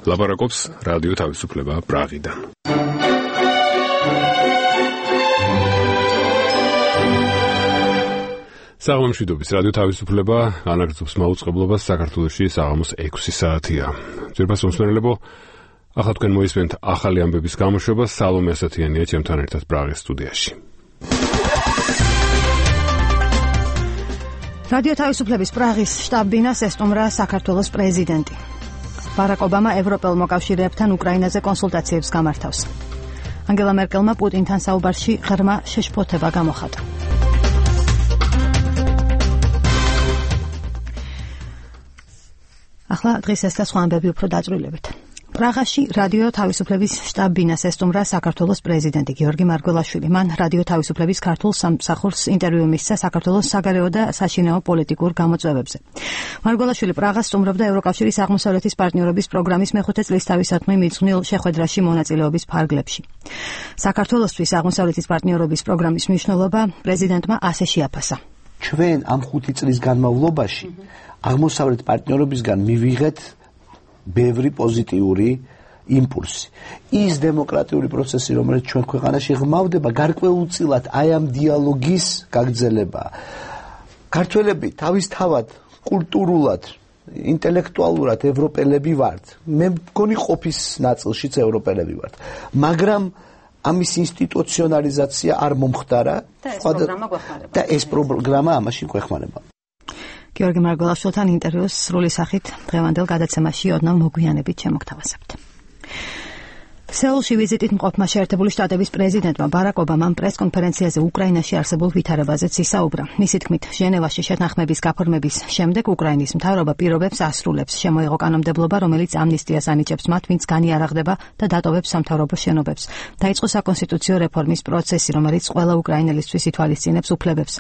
ლაპარაკობს რადიო თავისუფლება პრაღიდან. საღამომშვიდობის რადიო თავისუფლება ანაგრძობს მაუწყებლობას საქართველოში საღამოს 6 საათია. ძვირფას მომსმენელებო, ახლა თქვენ მოისმენთ ახალი ამბების გამოშვება სალომე ასათიანია ჩემთან ერთად პრაღის სტუდიაში. რადიო თავისუფლების პრაღის შტაბ-ბინას ესტუმრა საქართველოს პრეზიდენტი. ბარაკ ობამა ევროპელ მოკავშირეებთან უკრაინაზე კონსულტაციებს გამართავს. ანგელა მერკელმა პუტინთან საუბარში ღრმა შეშფოთება გამოხატა. ახლა დღეს ეს და სხვა ამბები უფრო დაწვრილებით. პრაღაში რადიო თავისუფლების შტაბ-ბინას ესტუმრა საქართველოს პრეზიდენტი გიორგი მარგველაშვილი. მან რადიო თავისუფლების ქართულ სამსახურს ინტერვიუ მისცა საქართველოს საგარეო და საშინაო პოლიტიკურ გამოწვევებზე. მარგველაშვილი პრაღას სტუმრობდა ევროკავშირის აღმოსავლეთის პარტნიორობის პროგრამის მეხუთე წლისთავისათმი მიძღვნილ შეხვედრაში მონაწილეობის ფარგლებში. საქართველოსთვის აღმოსავლეთის პარტნიორობის პროგრამის მნიშვნელობა პრეზიდენტმა ასე შეაფასა. ჩვენ ამ 5 წლის განმავლობაში აღმოსავლეთ პარტნიორობისგან მივიღეთ ბევრი პოზიტიური იმპულსი. ის დემოკრატიული პროცესი, რომელიც ჩვენ ქვეყანაში ღმავდება, გარკვეულწილად აი ამ დიალოგის გაგრძელება. ქართველები თავისთავად კულტურულად, ინტელექტუალურად ევროპელები ვართ. მე მგონი ყოფის ნაწილშიც ევროპელები ვართ. მაგრამ ამის ინსტიტუციონალიზაცია არ მომხდარა და ეს პროგრამა ამაში გვეხმარება. გიორგი მარგველაშვილთან ინტერვიუს სრული სახით დღევანდელ გადაცემაში ოდნავ მოგვიანებით შემოგთავაზებთ. სეულში ვიზიტით მყოფმა შეერთებული შტატების პრეზიდენტმა ბარაკ ობამამ პრესკონფერენციაზე უკრაინაში არსებულ ვითარებაზეც ისაუბრა. მისი თქმით, ჟენევაში შეთანხმების გაფორმების შემდეგ უკრაინის მთავრობა პირობებს ასრულებს. შემოიღო კანონმდებლობა, რომელიც ამნისტიას ანიჭებს მათ, ვინც განიარაღდება და დატოვებს სამთავრობო შენობებს. დაიწყო საკონსტიტუციო რეფორმის პროცესი, რომელიც ყველა უკრაინელისთვის ითვალისწინებს უფლებებს.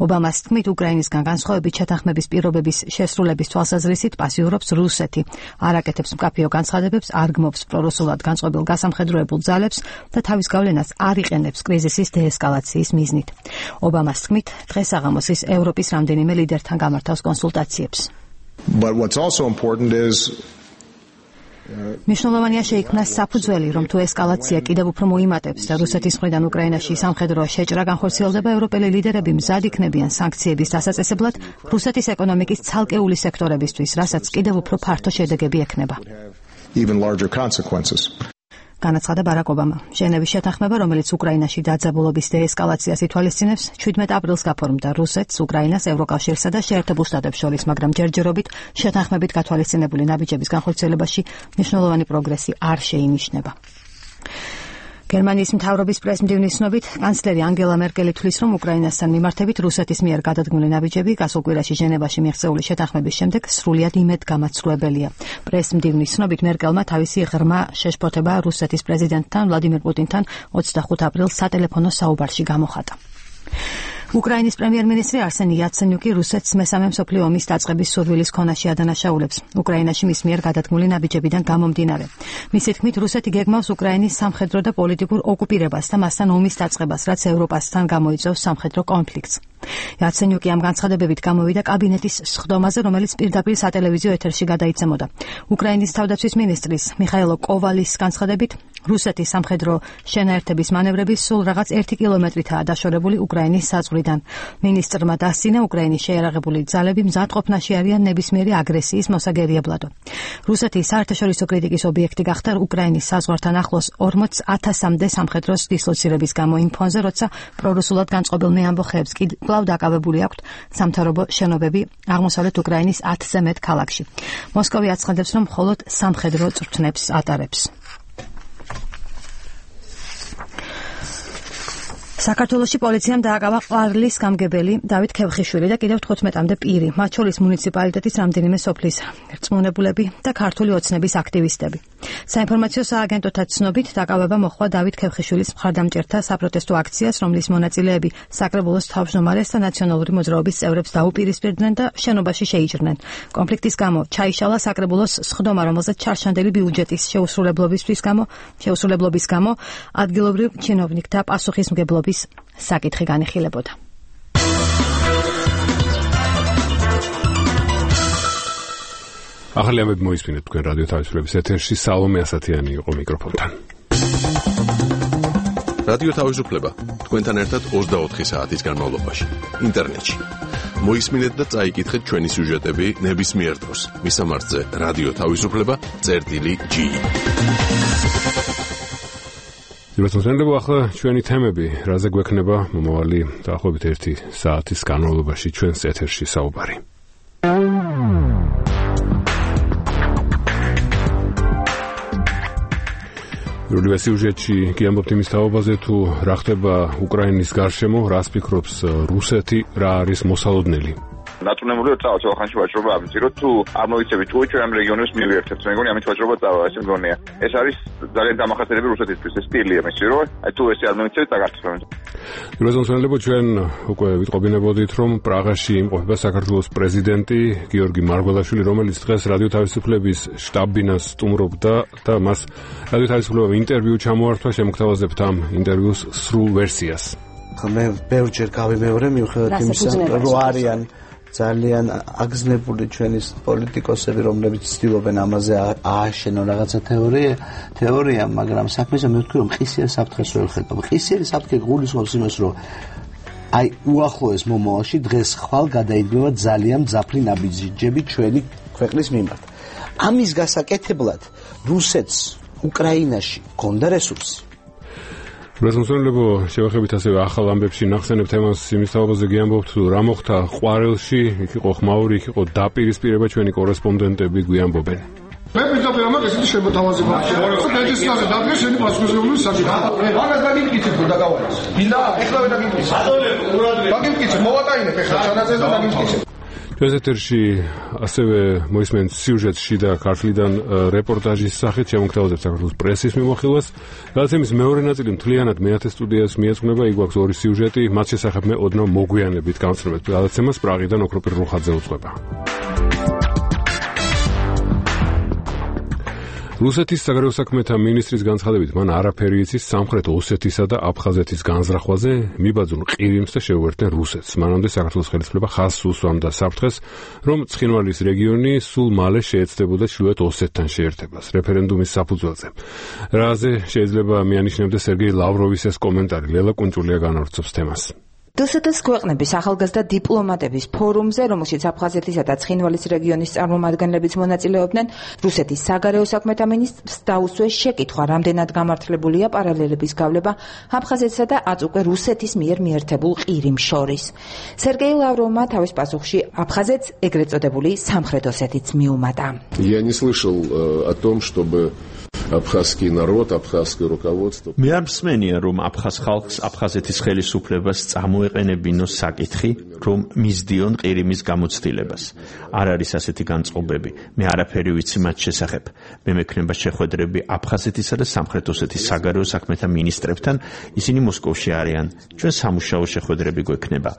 ობამას თქმით, უკრაინისგან განსხვავებით შეთანხმების პირობების შესრულების თვალსაზრისით პასიურობს რუსეთი. არ აკეთებს მკაფიო განცხადებებს, არ გმობს პრორუსულად განწყობილ გასამხედროებულ ძალებს და თავის გავლენას არ იყენებს კრიზისის დეესკალაციის მიზნით. ობამას თქმით, დღეს საღამოს ის ევროპის რამდენიმე ლიდერთან გამართავს კონსულტაციებს. But what's also important is მნიშვნელოვანია შეიქმნას საფუძველი, რომ თუ ესკალაცია კიდევ უფრო მოიმატებს და რუსეთის მხრიდან უკრაინაში სამხედრო შეჭრა განხორციელდება, ევროპელი ლიდერები მზად იქნებიან სანქციების დასაწესებლად რუსეთის ეკონომიკის ცალკეული სექტორებისთვის, რასაც კიდევ უფრო ფართო შედეგები ექნება. even larger consequences. განაცხადა ბარაკ ობამა. ჟენევის შეთანხმება, რომელიც უკრაინაში დაძაბულობის დეესკალაციას ითვალისწინებს, 17 აპრილს გაფორმდა რუსეთს, უკრაინას, ევროკავშირსა და შეერთებულ შტატებს შორის, მაგრამ ჯერჯერობით შეთანხმებით გათვალისწინებული ნაბიჯების განხორციელებაში მნიშვნელოვანი პროგრესი არ შეინიშნება. გერმანიის მთავრობის პრესმდივნის ცნობით, კანცლერი ანგელა მერკელი თვლის, რომ უკრაინასთან მიმართებით რუსეთის მიერ გადადგმული ნაბიჯები გასულ კვირაში ჟენევაში მიღწეული შეთანხმების შემდეგ სრულიად იმედგამაცდუებელია. პრესმდივნის ცნობით, მერკელმა თავისი ღრმა შეშფოთება რუსეთის პრეზიდენტთან ვლადიმერ პუტინთან 25 აპრილს სატელეფონო საუბარში გამოხატა. უკრაინის პრემიერ-მინისტრი არსენი იაცენიუკი რუსეთს მესამე მსოფლიო ომის დაწყების სურვილის ქონაში ადანაშაულებს. უკრაინაში მის მიერ გადადგმული ნაბიჯებიდან გამომდინარე. მისი თქმით, რუსეთი გეგმავს უკრაინის სამხედრო და პოლიტიკურ ოკუპირებას და მასთან ომის დაწყებას, რაც ევროპასთან გამოიწვევს სამხედრო კონფლიქტს. იაცენიუკი ამ განცხადებებით გამოვიდა კაბინეტის სხდომაზე, რომელიც პირდაპირ სატელევიზიო ეთერში გადაიცემოდა. უკრაინის თავდაცვის მინისტრის მიხაილო კოვალის განცხადებით, რუსეთის სამხედრო შენაერთების მანევრები სულ რაღაც 1 კილომეტრითაა დაშორებული უკრაინის საზღვრიდან. მინისტრმა დასცინა, უკრაინის შეიარაღებული ძალები მზად ყოფნაში არიან ნებისმიერი აგრესიის მოსაგერიებლად. რუსეთი საერთაშორისო კრიტიკის ობიექტი გახდა უკრაინის საზღვართან ახლოს 40,000-მდე სამხედროს დისლოცირების გამო იმ ფონზე, როცა პრორუსულად განწყობილ ამბოხეებს კვლავ დაკავებული აქვთ სამთავრობო შენობები აღმოსავლეთ უკრაინის 10-ზე მეტ ქალაქში. მოსკოვი აცხადებს, რომ მხოლოდ სამხედრო წვრთნებს ატარებს. საქართველოში პოლიციამ დააკავა ყვარლის გამგებელი დავით ქევხიშვილი და კიდევ 15-მდე პირი, მათ შორის მუნიციპალიტეტის რამდენიმე სოფლის რწმუნებულები და ქართული ოცნების აქტივისტები. საინფორმაციო სააგენტოთა ცნობით, დაკავება მოხდა დავით ქევხიშვილის მხარდამჭერთა საპროტესტო აქციას, რომლის მონაწილეები საკრებულოს თავმჯდომარეს და ნაციონალური მოძრაობის წევრებს დაუპირისპირდნენ და შენობაში შეიჭრნენ. კონფლიქტის გამო ჩაიშალა საკრებულოს სხდომა, რომელზეც ჩარჩანდელი ბიუჯეტის შეუსრულებლობის გამო ადგილობრივ ჩინოვნიკთა პასუხისმგებლობის საკითხი განიხილებოდა. ახალი ამბები მოისმინეთ თქვენ რადიო თავისუფლების ეთერში სალომე ასათიანი იყო მიკროფონთან. რადიო თავისუფლება თქვენთან ერთად 24 საათის განმავლობაში ინტერნეტში. მოისმინეთ და წაიკითხეთ ჩვენი სიუჟეტები ნებისმიერ დროს. მისამართზე რადიო თავისუფლება.ge. ძირითადად ახლა ჩვენი თემები, რაზე გვექნება მომავალი დაახლოებით 1 საათის განმავლობაში ჩვენს ეთერში საუბარი. პირველ სიუჟეტში კი ამბობთ იმის თაობაზე, თუ რა ხდება უკრაინის გარშემო, რას ფიქრობს რუსეთი, რა არის მოსალოდნელი. ნატუნემული წავალ ხანში ვაჭრობა ამიციროთ თუ არ მოიცებით თუ ჩვენ ამ რეგიონის მივიერთებთ მეგონი ამით ვაჭრობა წავალ ეს მგონია ეს არის ძალიან დამახასიათებელი რუსეთისთვის ეს სტილია მის რომ აი თუ ესე არ მოიცეთ დაგარწმუნდით როზონსონელებო ჩვენ უკვე ვიტყობინებოდით რომ პრაღაში იმყოფება საქართველოს პრეზიდენტი გიორგი მარგველაშვილი რომელიც დღეს რადიო თავისუფლების შტაბ-ბინას სტუმრობდა და მას რადიო თავისუფლებამ ინტერვიუ ჩამოართვა შემოგთავაზებთ ამ ინტერვიუს სრულ ვერსიას მე ბევრჯერ გავიმეორე მიუხედავად იმისა რომ არიან ძალიან აგზნებული ჩვენი პოლიტიკოსები, რომლებიც ცდილობენ ამაზე ააშენონ რაღაცა თეორია, მაგრამ საქმეზე მე ვთქვი, რომ ყისიერ საფრთხეს ვერ ხედავ. ყისიერი საფრთხე გულისხმობს იმას, რომ აი უახლოეს მომავალში დღეს ხვალ გადაიდგება ძალიან მძაფრი ნაბიჯები ჩვენი ქვეყნის მიმართ. ამის გასაკეთებლად რუსეთს უკრაინაში გონდა რესურსი. რეზონსონელებო შევახებით ასევე ახალ ამბებში ნახსენებთ თემას იმის თაობაზე გიამბობთ თუ რა მოხდა ყვარელში, იქ იყო ხმაური, იქ იყო დაპირისპირება ჩვენი კორესპონდენტები გვიამბობენ. მე პირდაპირ ამას ისეთი შემოთავაზება აქვს. დაგესწრაზე დაგე შენი პასუხისმგებლობის საკითხი. მაგას დაგიმკიცებ რომ დაგავალეს. მინდა ეხლა დაგიმკიცებ. დაგიმკიცებ, მოვატაინებ ეხლა ჩანაწერს და დაგიმკიცებ. ჩვენს ეთერში ასევე მოისმენთ სიუჟეტში და ქართლიდან რეპორტაჟის სახით შემოგთავაზებთ საქართველოს პრესის მიმოხილვას. გადაცემის მეორე ნაწილი მთლიანად მეათე სტუდიას მიეძღვნება, იქ გვაქვს ორი სიუჟეტი, მათ შესახებ მე ოდნავ მოგვიანებით გავცნობთ გადაცემას პრაღიდან ოქროპირ რუხაძე უძღვება. რუსეთის საგარეო საქმეთა მინისტრის განცხადებით მან არაფერი იცის სამხრეთ ოსეთისა და აფხაზეთის განზრახვაზე, მიბაძουν ყირიმს და შეუერთდნენ რუსეთს. მანამდე საქართველოს ხელისუფლება ხაზს უსვამდა საფრთხეს, რომ ცხინვალის რეგიონი სულ მალე შეეცდებოდა ჩრდილოეთ ოსეთთან შეერთებას რეფერენდუმის საფუძველზე. რაზე შეიძლება მიანიშნებდა სერგეი ლავროვის ეს კომენტარი. ლელა კუნჭულია განავრცობს თემას. დსთ-ს ქვეყნების ახალგაზრდა დიპლომატების ფორუმზე, რომელშიც აფხაზეთისა და ცხინვალის რეგიონის წარმომადგენლებიც მონაწილეობდნენ, რუსეთის საგარეო საქმეთა მინისტრს დაუსვეს შეკითხვა, რამდენად გამართლებულია პარალელების გავლება აფხაზეთსა და აწუყე რუსეთის მიერ მიერთებულ ყირიმს შორის. სერგეი ლავროვმა თავის პასუხში აფხაზეთს ეგრეთ წოდებული სამხრეთ ოსეთიც მიუმატა. Я не слышал о том, чтобы აფხაზский народ, აფხაზское руководство. მე არ მსმენია, რომ აფხაზ ხალხს აფხაზეთის ხელისუფლებას წამოეყენებინოს საკითხი, რომ მისდიონ ყირიმის გამოცდილებას. არ არის ასეთი განწყობები. მე არაფერი ვიცი მათ შესახებ. მე მექნება შეხვედრები აფხაზეთისა და სამხრეთ ოსეთის საგარეო საქმეთა მინისტრებთან, ისინი მოსკოვში არიან. ჩვენ სამუშაო შეხვედრები გვექნება.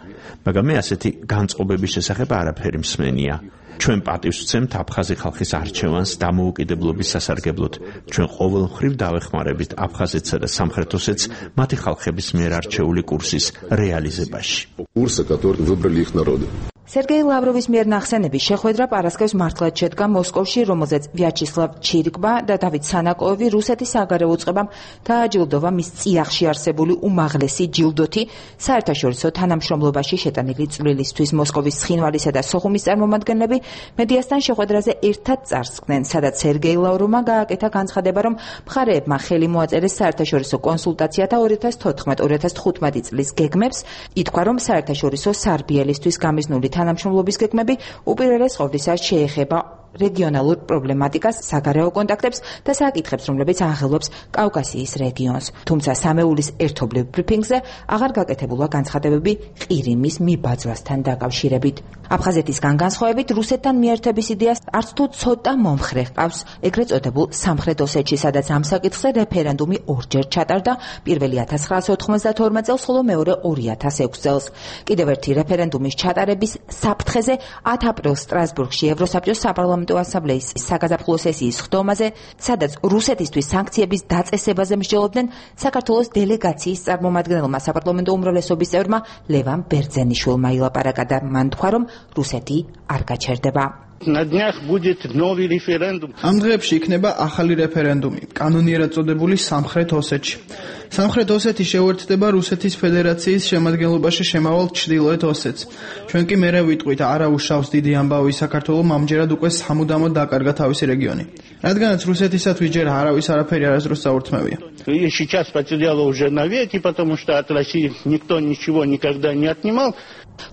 მაგრამ მე ასეთი განწყობების შესახებ არაფერი მსმენია. ჩვენ პატივს ვცემთ აფხაზი ხალხის არჩევანს დამოუკიდებლობის სასარგებლოდ. ჩვენ ყოველ მხრივ დავეხმარებით აფხაზეთსა და სამხრეთ ოსეთს მათი ხალხების მიერ არჩეული კურსის რეალიზებაში. Курсы, которые выбрали их народы. სერგეი ლავროვის მიერ ნახსენების შეხვედრა პარასკევს მართლაც შედგა მოსკოვში, რომელზეც ვიაჩესლავ ჩირკბა და დავით სანაკოევი რუსეთის საგარეო უწყებამ დააჯილდოვა მის წიაღში არსებული უმაღლესი ჯილდოთი საერთაშორისო თანამშრომლობაში შეტანილი წვლილისთვის. მოსკოვის ცხინვალისა და სოხუმის წარმომადგენლები მედიასთან შეხვედრაზე ერთად წარსდგნენ, სადაც სერგეი ლავროვმა გააკეთა განცხადება, რომ მხარეებმა ხელი მოაწერეს საერთაშორისო კონსულტაციათა 2014-2015 წლის გეგმებს. ითქვა, რომ საერთაშორისო სარბიელისთვის გამიზნული თანამშრომლობის გეგმები უპირველეს ყოვლისა შეეხება რეგიონალურ პრობლემატიკას, საგარეო კონტაქტებს და საკითხებს, რომლებიც აღელვებს კავკასიის რეგიონს. თუმცა სამეულის ერთობლივ ბრიფინგზე აღარ გაკეთებულა განცხადებები ყირიმის მიბაძვასთან დაკავშირებით. აფხაზეთისგან განსხვავებით, რუსეთთან მიერთების იდეას არც თუ ცოტა მომხრე ჰყავს ეგრეთ წოდებულ სამხრეთ ოსეთში, სადაც ამ საკითხზე რეფერენდუმი ორჯერ ჩატარდა, პირველი 1992 წელს, ხოლო მეორე 2006 წელს. კიდევ ერთი რეფერენდუმის ჩატარების საფრთხეზე 10 აპრილს სტრასბურგში ევროსაბჭოს საპარლამენტო ასამბლეის საგაზაფხულო სესიის ხდომაზე, სადაც რუსეთისთვის სანქციების დაწესებაზე მსჯელობდნენ საქართველოს დელეგაციის წარმომადგენელმა საპარლამენტო უმრავლესობის წევრმა ლევან ბერძენიშვილმა ილაპარაკა და მან თქვა, რომ რუსეთი არ გაჩერდება. На днях будет новый референдум. Ამ დღეებში იქნება ახალი რეფერენდუმი, კანონიერად წოდებული სამხრეთ ოსეთში. სამხრეთ ოსეთი შეუერთდება რუსეთის ფედერაციის შემადგენლობაში შემავალ ჩრდილოეთ ოსეთს. ჩვენ კი მერე ვიტყვით, არა უშავს დიდი ამბავი საქართველოს ამჯერად უკვე სამუდამოდ დაკარგა თავისი რეგიონი. რადგანაც რუსეთისათვის ჯერ არავის არაფერი არასდროს წაურთმევია. И сейчас потеряла уже навеки, потому что от России никто ничего никогда не отнимал.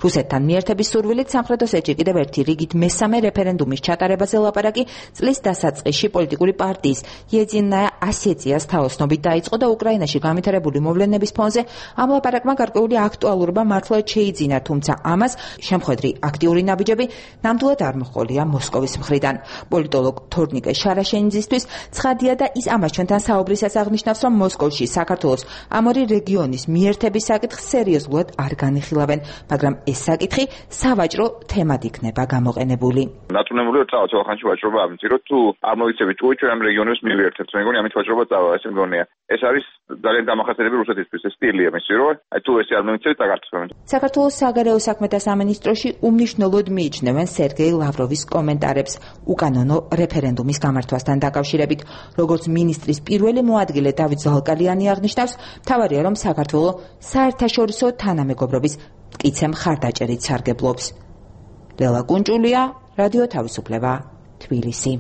რუსეთთან მიერთების სურვილით სამხრეთ ოსეთში კიდევ ერთი რიგით მესამე რეფერენდუმის ჩატარებაზე ლაპარაკი წლის დასაწყისში პოლიტიკური პარტიის იედინაია ასეციას თაოსნობით დაიწყო და უკრაინაში განვითარებული მოვლენების ფონზე ამ ლაპარაკმა გარკვეული აქტუალურობა მართლაც შეიძინა, თუმცა ამას შემხედრი აქტიური ნაბიჯები ნამდვილად არ მოჰყოლია მოსკოვის მხრიდან. პოლიტოლოგ თორნიკე შარაშენიძისთვის ცხადია და ის ამას ჩვენთან საუბრისას აღნიშნავს, რომ მოსკოვში საქართველოს ამ ორი რეგიონის მიერთების საკითხს სერიოზულად არ განიხილავენ, მაგრამ ეს საკითხი სავაჭრო თემად იქნება გამოყენებული. ნატუნებული წავა ხანში ვაჭრობა ამციროთ თუ არ მოიცებით თუ ჩვენ ამ რეგიონებს მივიერთებთ, მე მგონი ამით ვაჭრობა წავა, ესე მგონია. ეს არის ძალიან დამახასიათებელი რუსეთისთვის, ეს სტილია მისი, რომ აი თუ ესე არ მოიცებით დაგარწმუნებთ. საქართველოს საგარეო საქმეთა სამინისტროში უმნიშვნელოდ მიიჩნევენ სერგეი ლავროვის კომენტარებს უკანონო რეფერენდუმის გამართვასთან დაკავშირებით. როგორც მინისტრის პირველი მოადგილე დავით ზალკალიანი აღნიშნავს, მთავარია რომ საქართველოს საერთაშორისო თანამეგობრობის მტკიცე მხარდაჭერით სარგებლობს. ლელა კუნჭულია, რადიო თავისუფლება, თბილისი.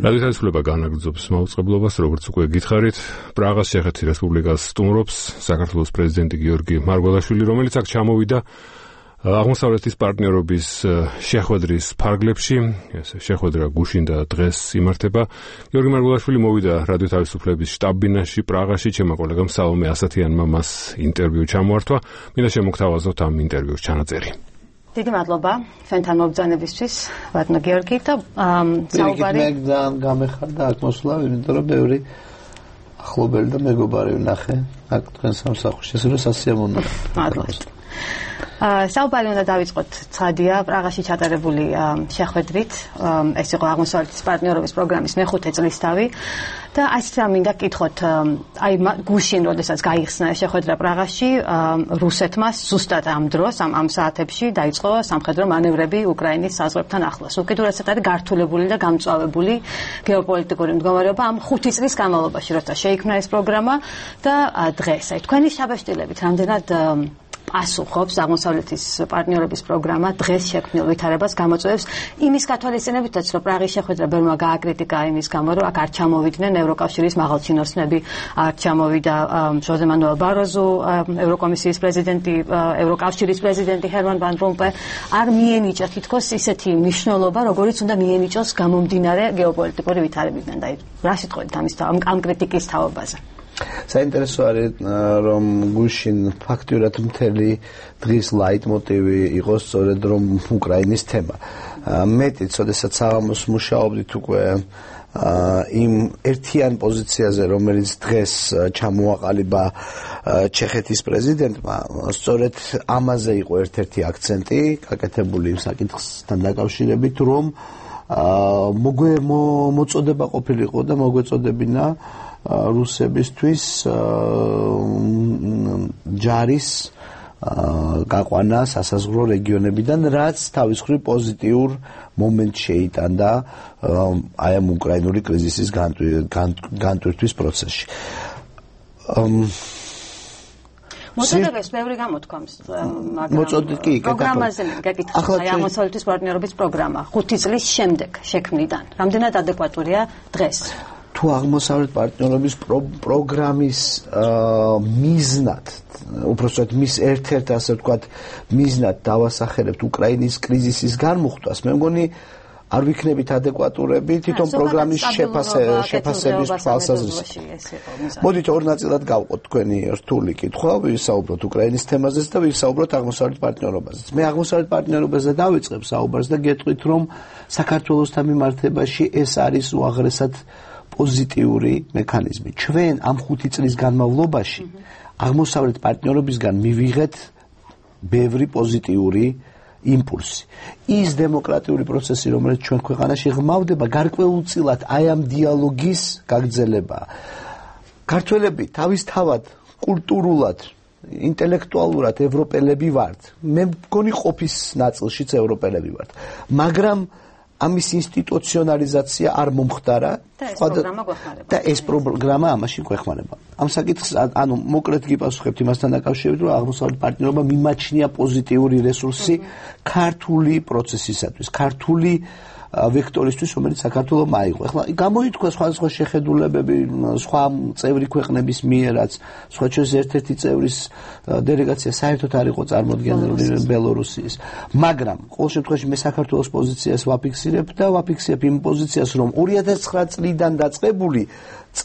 რადიო თავისუფლება განაგრძობს მაუწყებლობას, როგორც უკვე გითხარით, პრაღას ჩეხეთის რესპუბლიკას სტუმრობს საქართველოს პრეზიდენტი გიორგი მარგველაშვილი, რომელიც აქ ჩამოვიდა აღმოსავლეთის პარტნიორობის შეხვედრის ფარგლებში. ეს შეხვედრა გუშინ და დღეს იმართება. გიორგი მარგველაშვილი მოვიდა რადიო თავისუფლების შტაბ-ბინაში პრაღაში, ჩემმა კოლეგამ სალომე ასათიანმა მას ინტერვიუ ჩამოართვა. მინდა შემოგთავაზოთ ამ ინტერვიუს ჩანაწერი. დიდი მადლობა ჩვენთან მობრძანებისთვის, ბატონო გიორგი და საუბარი. მე გამეხარდა აქ მოსვლა, იმიტომ რომ ბევრი ახლობელი და მეგობარი ვნახე აქ თქვენ სამსახურში, ეს რო სასიამოვნოა. მადლობა. საუბარი უნდა დავიწყოთ ცხადია პრაღაში ჩატარებული შეხვედრით. ეს იყო აღმოსავლეთის პარტნიორობის პროგრამის მეხუთე წლისთავი და ასეთ რა მინდა გკითხოთ, აი გუშინ როდესაც გაიხსნა შეხვედრა პრაღაში, რუსეთმა ზუსტად ამ დროს, ამ საათებში დაიწყო სამხედრო მანევრები უკრაინის საზღვრებთან ახლოს. უკიდურესად არის გართულებული და გამწვავებული გეოპოლიტიკური მდგომარეობა ამ 5 წლის განმავლობაში, როცა შეიქმნა ეს პროგრამა და დღეს. აი თქვენი შაბაშტილებით რამდენად პასუხობს აღმოსავლეთის პარტნიორობის პროგრამა დღეს შექმნილ ვითარებას გამოწვევს იმის გათვალისწინებითაც, რომ პრაღის შეხვედრა ბევრმა გააკრიტიკა იმის გამო, რომ აქ არ ჩამოვიდნენ ევროკავშირის მაღალჩინოსნები, არ ჩამოვიდა ჟოზე მანუელ ბაროზო, ევროკომისიის პრეზიდენტი, ევროკავშირის პრეზიდენტი ჰერმან ვან რომპე, არ მიენიჭა თითქოს ისეთი მნიშვნელობა, როგორიც უნდა მიენიჭოს გამომდინარე გეოპოლიტიკური ვითარებიდან. და რა სიტყვით ამ კრიტიკის თაობაზე? საინტერესო არის რომ გუშინ ფაქტურად მთელი დღის ლაიტმოტივი იყო სწორედ რომ უკრაინის თემა. მეტიც, როდესაც საღამოს მუშაობდით უკვე იმ ერთიან პოზიციაზე, რომელიც დღეს ჩამოაყალიბა ჩეხეთის პრეზიდენტმა, სწორედ ამაზე იყო ერთ-ერთი აქცენტი გაკეთებული იმ საკითხთან დაკავშირებით, რომ მოწოდება ყოფილიყო და მოგვეწოდებინა რუსებისთვის ჯარის გაყვანა სასაზღვრო რეგიონებიდან, რაც თავის მხრივ პოზიტიურ მომენტს შეიტანდა აი ამ უკრაინული კრიზისის განტვირთვის პროცესში. მოწოდებას ბევრი გამოთქვამს, მაგრამ პროგრამაზე გეკითხა, აი აღმოსავლეთის პარტნიორობის პროგრამა 5 წლის შემდეგ შექმნიდან. რამდენად ადეკვატურია დღეს? თუ აღმოსავლეთ პარტნიორობის პროგრამის მიზნად, უпроსტად მის ერთ-ერთ ასე ვთქვათ მიზნად დავასახელებთ უკრაინის კრიზისის განმუხტვას, მე მგონი არ ვიქნებით ადეკვატურები თვითონ პროგრამის შეფასების თვალსაზრისით. მოდით ორ ნაწილად გავყოთ თქვენი რთული კითხვა, ვისაუბროთ უკრაინის თემაზეც და ვისაუბროთ აღმოსავლეთ პარტნიორობაზეც. მე აღმოსავლეთ პარტნიორობაზე დავიწყებ საუბარს და გეტყვით, რომ საქართველოსთან მიმართებაში ეს არის უაღრესად პოზიტიური მექანიზმი. ჩვენ ამ 5 წლის განმავლობაში აღმოსავლეთ პარტნიორობისგან მივიღეთ ბევრი პოზიტიური იმპულსი. ის დემოკრატიული პროცესი, რომელიც ჩვენ ქვეყანაში ღმავდება, გარკვეულწილად აი ამ დიალოგის გაგრძელებაა. ქართველები თავისთავად კულტურულად ინტელექტუალურად ევროპელები ვართ. მე მგონი ყოფის ნაწილშიც ევროპელები ვართ. მაგრამ ამის ინსტიტუციონალიზაცია არ მომხდარა და ეს პროგრამა ამაში გვეხმარება. ამ საკითხს ანუ მოკლედ გიპასუხებთ იმასთან დაკავშირებით, რომ აღმოსავლეთ პარტნიორობა მიმაჩნია პოზიტიური რესურსი ქართული პროცესისათვის, ქართული ვექტორისთვის, რომელიც საქართველოს აიღო. ეხლა გამოითქვა სხვადასხვა შეხედულებები სხვა წევრი ქვეყნების მიერაც, სხვა ჩვენს ერთ-ერთი წევრის დელეგაცია საერთოდ არ იყო წარმოდგენილი ბელორუსიის. მაგრამ ყოველ შემთხვევაში მე საქართველოს პოზიციას ვაფიქსირებ და ვაფიქსირებ იმ პოზიციას, რომ 2009 წლიდან დაწყებული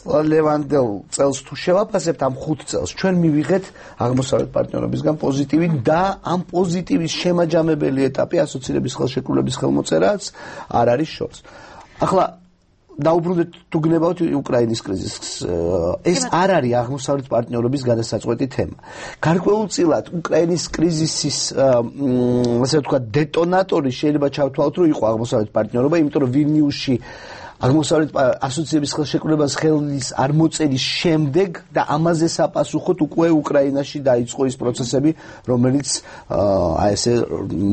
ლევანდელ წელს თუ შევაფასებთ ამ 5 წელს, ჩვენ მივიღეთ აღმოსავლეთ პარტნიორობისგან პოზიტივი და ამ პოზიტივის შემაჯამებელი ეტაპი ასოცირების ხელშეკრულების ხელმოწერაც არ არის შორს. ახლა დაუბრუნდეთ თუ გნებავთ უკრაინის კრიზისს. ეს არ არის აღმოსავლეთ პარტნიორობის გადასაწყვეტი თემა. გარკვეულწილად უკრაინის კრიზისის ასე ვთქვათ დეტონატორი შეიძლება ჩავთვალოთ, რომ იყო აღმოსავლეთ პარტნიორობა, იმიტომ რომ ვილნიუსში აღმოსავლეთ ასოციების ხელშეკრულებას ხელის არ მოწერის შემდეგ და ამაზე საპასუხოდ უკვე უკრაინაში დაიწყო ის პროცესები, რომელიც აი ესე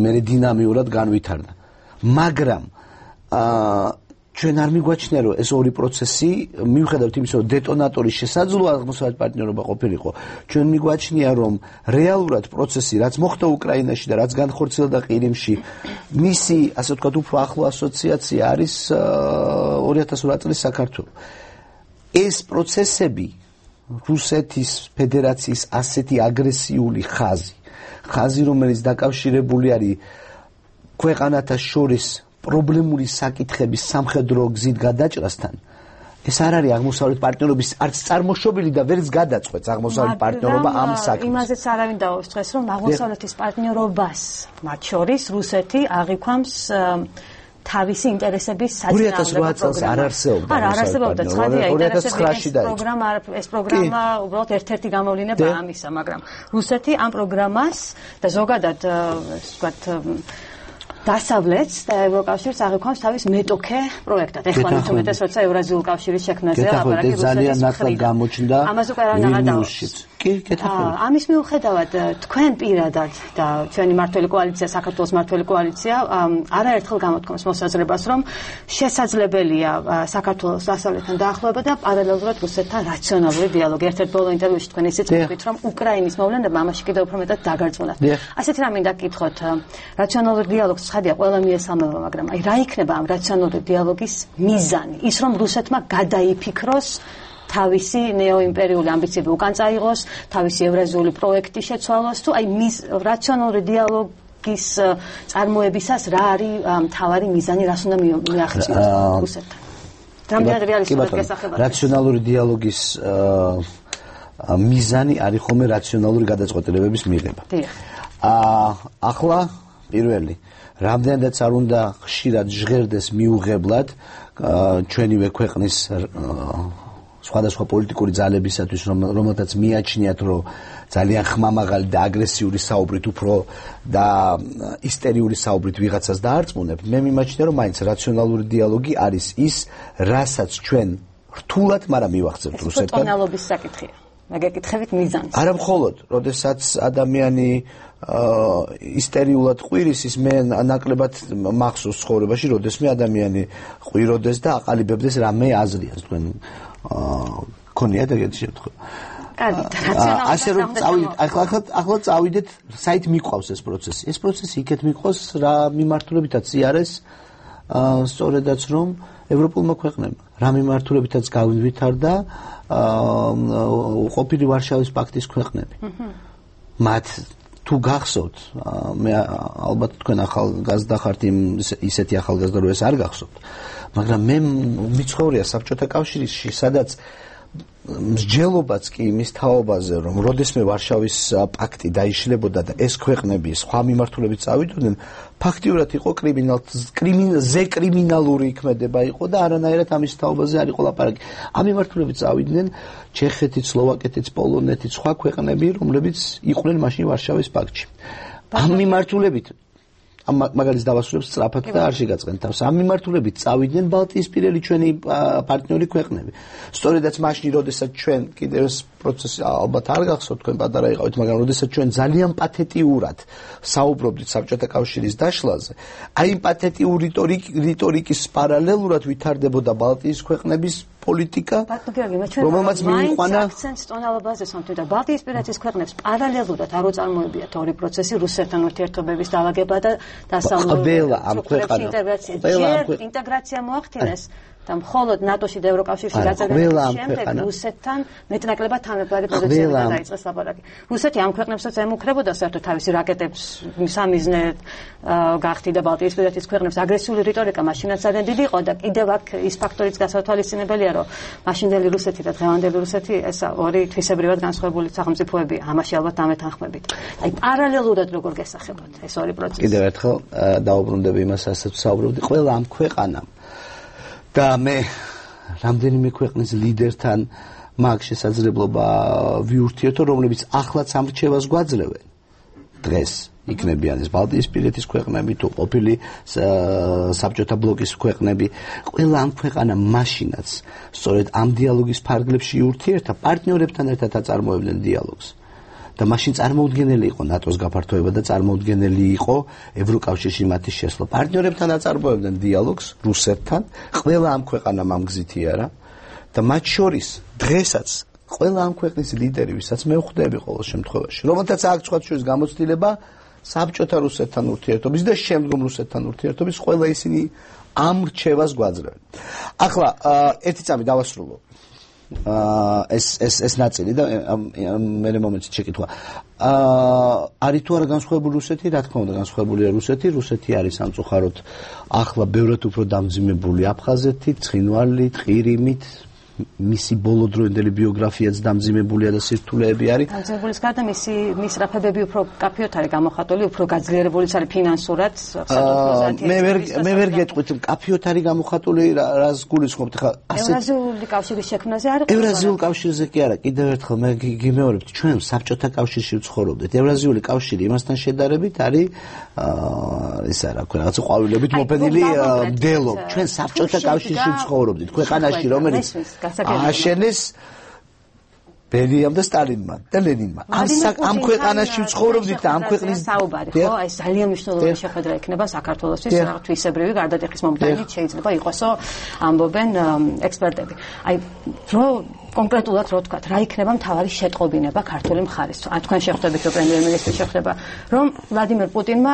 მე დინამიურად განვითარდა. მაგრამ ჩვენ არ მიგვაჩნია, რომ ეს ორი პროცესი მიუხედავად იმისა, რომ დეტონატორი შესაძლოა აღმოსავლეთ პარტნიორობა ყოფილიყო, ჩვენ მიგვაჩნია, რომ რეალურად პროცესი, რაც მოხდა უკრაინაში და რაც განხორციელდა ყირიმში, მისი, ასე ვთქვათ, უფრო ახლო ასოციაცია არის 2008 წლის საქართველო. ეს პროცესები რუსეთის ფედერაციის ასეთი აგრესიული ხაზი, რომელიც დაკავშირებული არის ქვეყანათა შორის პრობლემული საკითხების სამხედრო გზით გადაჭრასთან, ეს არ არის აღმოსავლეთ პარტნიორობის არც წარმოშობილი და ვერც გადაწყვეტს აღმოსავლეთ პარტნიორობა ამ საკითხს. იმაზეც არავინ დაუშვებს დღეს, რომ აღმოსავლეთის პარტნიორობას მათ შორის რუსეთი აღიქვამს თავისი ინტერესების საწინააღმდეგო პროგრამა. არ არსებობდა. არა, არ არსებობდა. ცხადია, ეს პროგრამა უბრალოდ ერთ-ერთი გამოვლინება ამისა, მაგრამ რუსეთი ამ პროგრამას და ზოგადად ვთქვათ დასავლეთს და ევროკავშირს აღიქვამს თავის მეტოქე პროექტად. ეხლა თუმეტეს როცა ევრაზიული კავშირის შექმნაზე ლაპარაკი ძალიან ნაკლად გამოჩნდა ამას უკვე არ ნაღადაობს. ამის მიუხედავად თქვენ პირადად და ჩვენი მმართველი კოალიცია, საქართველოს მმართველი კოალიცია არაერთხელ გამოთქვამს მოსაზრებას, რომ შესაძლებელია საქართველოს დასავლეთთან დაახლოება და პარალელურად რუსეთთან რაციონალური დიალოგი. ერთ-ერთ ბოლო ინტერვიუში თქვენ ისიც თქვით, რომ უკრაინის მოვლენებმა ამაში კიდევ უფრო მეტად დაგარწმუნათ. ასეთი რამ მინდა გკითხოთ, რაციონალური დიალოგს ცხადია ყველა მიესალმება, მაგრამ აი რა იქნება ამ რაციონალური დიალოგის მიზანი? ის რომ რუსეთმა გადაიფიქროს თავისი ნეოიმპერიული ამბიციები უკან წაიღოს, თავისი ევრაზიული პროექტი შეცვალოს, თუ აი რაციონალური დიალოგის წარმოებისას რა არის მთავარი მიზანი, რას უნდა მიაღწიოს რუსეთთან? რამდენად რეალისტურად გესახება? რაციონალური დიალოგის მიზანი არის ხოლმე რაციონალური გადაწყვეტილებების მიღება. ახლა პირველი რამდენადაც არ უნდა ხშირად ჟღერდეს მიუღებლად ჩვენივე ქვეყნის სხვადასხვა პოლიტიკური ძალებისათვის, რომელთაც მიაჩნიათ, რომ ძალიან ხმამაღალი და აგრესიული საუბრით უფრო და ისტერიული საუბრით ვიღაცას დაარწმუნებთ, მე მიმაჩნია, რომ მაინც რაციონალური დიალოგი არის ის, რასაც ჩვენ რთულად, მაგრამ მივახცევთ რუსეთთან. ეს ტონალობის საკითხია. მაგეკითხებით მიზანს. არა მხოლოდ, როდესაც ადამიანი ისტერიულად ყვირის, ის მე ნაკლებად მახსოვს ცხოვრებაში, როდესმე ადამიანი ყვიროდეს და აყალიბებდეს რამე აზრიას, თქვენ ქონიათ ეგეთი შემთხვევა. კარგი, ასე რომ წავიდეთ, ახლა წავიდეთ, საით მიყვავს ეს პროცესი. ეს პროცესი იქეთ მიყვავს რა მიმართულებითაც იარეს, სწორედაც რომ ევროპულმა ქვეყნებმა რა მიმართულებითაც გავითარდა ყოფილი ვარშავის პაქტის ქვეყნები. მათ თუ გახსოვთ, მე ალბათ თქვენ ახალგაზრდა ხართ, ისეთი ახალგაზრდა რო ეს არ გახსოვთ, მაგრამ მე მიცხოვრია საბჭოთა კავშირში, სადაც მსჯელობაც კი იმის თაობაზე, რომ როდესმე ვარშავის პაქტი დაიშლებოდა და ეს ქვეყნები სხვა მიმართულებით წავიდნენ, ფაქტიურად იყო კრიმინალური იქმედება იყო და არანაირად ამის თაობაზე არ იყო ლაპარაკი. ამ მიმართულებით წავიდნენ ჩეხეთიც, სლოვაკეთიც, პოლონეთიც, სხვა ქვეყნები, რომლებიც იყვნენ მაშინ ვარშავის პაქტში. ამ მიმართულებით მაგალის დავასრულებს სწრაფად და არ შეგაწყენ თავს. ამ მიმართულებით წავიდნენ ბალტიისპირელი ჩვენი პარტნიორი ქვეყნები. სწორედაც მაშინ, როდესაც ჩვენ კიდევ ეს პროცესი ალბათ არ გახსოვთ, თქვენ პატარა იყავით, მაგრამ როდესაც ჩვენ ძალიან პათეტიურად საუბრობდით საბჭოთა კავშირის დაშლაზე, აი იმ პათეტიურ რიტორიკის პარალელურად ვითარდებოდა ბალტიის ქვეყნების პოლიტიკა, რომელმაც მიიყვანა აქცენტს ტონალობაზე სამთო და ბალტიისპირეთის ქვეყნებს პარალელურად არ უწარმოებიათ ორი პროცესი რუსეთთან ურთიერთობების დაალაგება და ყველა ამ ქვეყანამ ინტეგრაცია მოახდინეს და მხოლოდ ნატოში და ევროკავშირში გაწევრების შემდეგ რუსეთთან მეტნაკლებად თანაბარი პოზიციებიდან დაიწყეს ლაპარაკი. რუსეთი ამ ქვეყნებსაც ემუქრებოდა საერთოდ თავისი რაკეტებს სამიზნედ გახდიდა ბალტიისპირეთის ქვეყნებს აგრესიული რიტორიკა მაშინაც ძალიან დიდი იყო და კიდევ აქ ის ფაქტორიც გასათვალისწინებელია, რომ მაშინდელი რუსეთი და დღევანდელი რუსეთი ეს ორი თვისებრივად განსხვავებული სახელმწიფოებია. ამაში ალბათ დამეთანხმებით. აი პარალელურად როგორ გესახებათ ეს ორი პროცესი. კიდევ ერთხელ დაუბრუნდები იმას, რასაც საუბრობდი, ყველა ამ ქვეყანამ და მე რამდენიმე ქვეყნის ლიდერთან მაგ შესაძლებლობა ვიურთიერთო, რომლებიც ახლაც ამ რჩევას გვაძლევენ. დღეს იქნებიან ეს ბალტიისპირეთის ქვეყნები თუ ყოფილი საბჭოთა ბლოკის ქვეყნები, ყველა ამ ქვეყანამ მაშინაც სწორედ ამ დიალოგის ფარგლებში იურთიერთა, პარტნიორებთან ერთად აწარმოებდნენ დიალოგს. და მაშინ წარმოუდგენელი იყო ნატოს გაფართოება და წარმოუდგენელი იყო ევროკავშირში მათი შესვლა. პარტნიორებთან აწარმოებდნენ დიალოგს რუსეთთან, ყველა ამ ქვეყანამ ამ გზით იარა და მათ შორის დღესაც ყველა ამ ქვეყნის ლიდერი, ვისაც მე ვხვდები ყოველ შემთხვევაში, რომელთაც აქვს სხვა შორის გამოცდილება საბჭოთა რუსეთთან ურთიერთობის და შემდგომ რუსეთთან ურთიერთობის, ყველა ისინი ამ რჩევას გვაძლევენ. ახლა ერთი წამი დავასრულო. ეს ნაწილი და მე მომენტში შეკითხვა. არის თუ არა განსხვავებული რუსეთი? რა თქმა უნდა, განსხვავებულია რუსეთი. რუსეთი არის სამწუხაროდ ახლა ბევრად უფრო დამძიმებული აფხაზეთით, ცხინვალით, ყირიმით. მისი ბოლოდროინდელი ბიოგრაფიაც დამძიმებულია და სირთულეები არის. დამძიმებულის გარდა მისი მისწრაფებები უფრო კაფეოთ არის გამოხატული, უფრო გაძლიერებულიც არის ფინანსურად. მე ვერ გეტყვით, კაფეოთ არის გამოხატული, რას გულისხმობთ ხა? ევრაზიული კავშირის შექმნაზე არის? ევრაზიული კავშირზე კი არა, კიდევ ერთხელ მე გიმეორებთ, ჩვენ საბჭოთა კავშირში ვცხოვრობდით. ევრაზიული კავშირი იმასთან შედარებით არის ისა რა ქვია, რაღაც ყვავილებით მოფენილი მდელო. ჩვენ საბჭოთა კავშირში ვცხოვრობდით, ქვეყანაში რომელიც აშენეს ბერიამ და სტალინმა და ლენინმა. ამ ქვეყანაში ვცხოვრობდით და ამ ქვეყნის საუბარი ხო? აი ძალიან მნიშვნელოვანი შეხვედრა იქნება საქართველოსთვის, თვისებრივი გარდატეხის მომდევნით შეიძლება იყოსო ამბობენ ექსპერტები. აი რო კონკრეტულად რო თქვა, რა იქნება მთავარი შეტყობინება ქართული მხარის? თქვენ შეხვდებით რომ პრემიერ-მინისტრი შეხვდება, რომ ვლადიმერ პუტინმა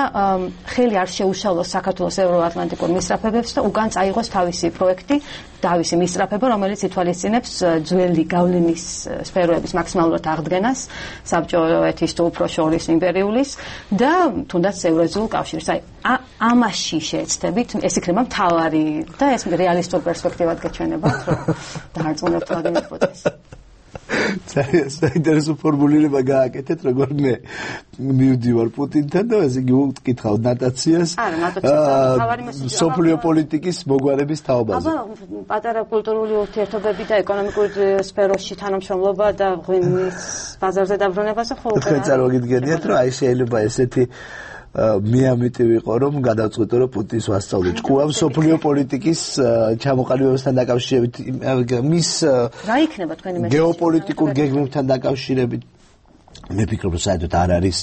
ხელი არ შეუშალოს საქართველოს ევროატლანტიკურ მისწრაფებებს და უკან წაიღოს თავისი პროექტი, თავისი მისწრაფება, რომელიც ითვალისწინებს ძველი გავლენის სფეროების მაქსიმალურად აღდგენას საბჭოეთის თუ უფრო შორის იმპერიულის და თუნდაც ევრაზიულ კავშირის. აი ამაში შეეცდებით, ეს იქნება მთავარი და ეს რეალისტურ პერსპექტივად გეჩვენებათ, რომ დაარწმუნებთ ვლადიმერ პუტინს. ძალიან საინტერესო ფორმულირება გააკეთეთ, როგორ მე მივდივარ პუტინთან და ესე იგი ვკითხავ ნატაციას. სოფლიო პოლიტიკის მოგვარების თაობაზე. აბა, პატარა კულტურული ურთიერთობები და ეკონომიკური სფეროში თანამშრომლობა და ღვინის ბაზარზე დაბრუნებაზე ხო? თქვენ წარმოგიდგენიათ, რომ აი შეიძლება ესეთი მე ამიტი ვიყო, რომ გადავწყვიტო, რომ პუტინს ვასწავლე ჭკუამ სოფლიო პოლიტიკის ჩამოყალიბებასთან დაკავშირებით, მის რა იქნება თქვენი მესაჯი გეოპოლიტიკურ გეგმებთან დაკავშირებით. მე ვფიქრობ, რომ საერთოდ არ არის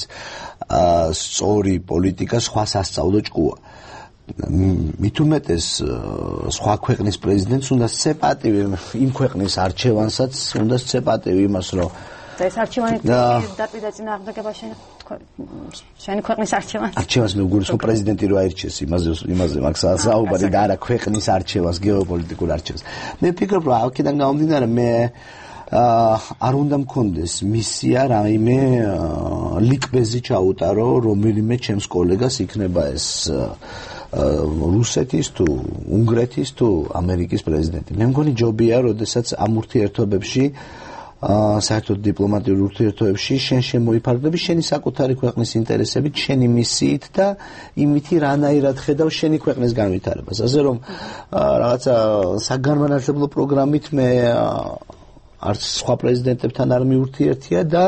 სწორი პოლიტიკა სხვა სასწავლო ჭკუა. მით უმეტეს სხვა ქვეყნის პრეზიდენტს უნდა სცეპატივი იმ ქვეყნის არჩევანსაც, უნდა სცეპატივი იმას, რომ ეს არჩევანი დაპირდა წინააღმდეგობა შენი ქვეყნის არჩევანს. არჩევანს მე ვგულისხმობ პრეზიდენტი რო აირჩიეს, იმაზე მაგ საუბარი და არა ქვეყნის არჩევანს, გეოპოლიტიკურ არჩევანს. მე ვფიქრობ, რომ აქედან გამომდინარე მე არ უნდა მქონდეს მისია რაიმე ლიკბეზი ჩაუტარო რომელიმე ჩემს კოლეგას, იქნება ეს რუსეთის თუ უნგრეთის თუ ამერიკის პრეზიდენტი. მე მგონი ჯობია, როდესაც ამ ურთიერთობებში საერთოდ დიპლომატიურ ურთიერთობებში შენ შემოიფარგლები შენი საკუთარი ქვეყნის ინტერესებით, შენი მისიით და იმითი რანაირად ხედავ შენი ქვეყნის განვითარებას. ასე რომ რაღაცა საგანმანათლებლო პროგრამით მე არც სხვა პრეზიდენტებთან არ მიურთიერთია და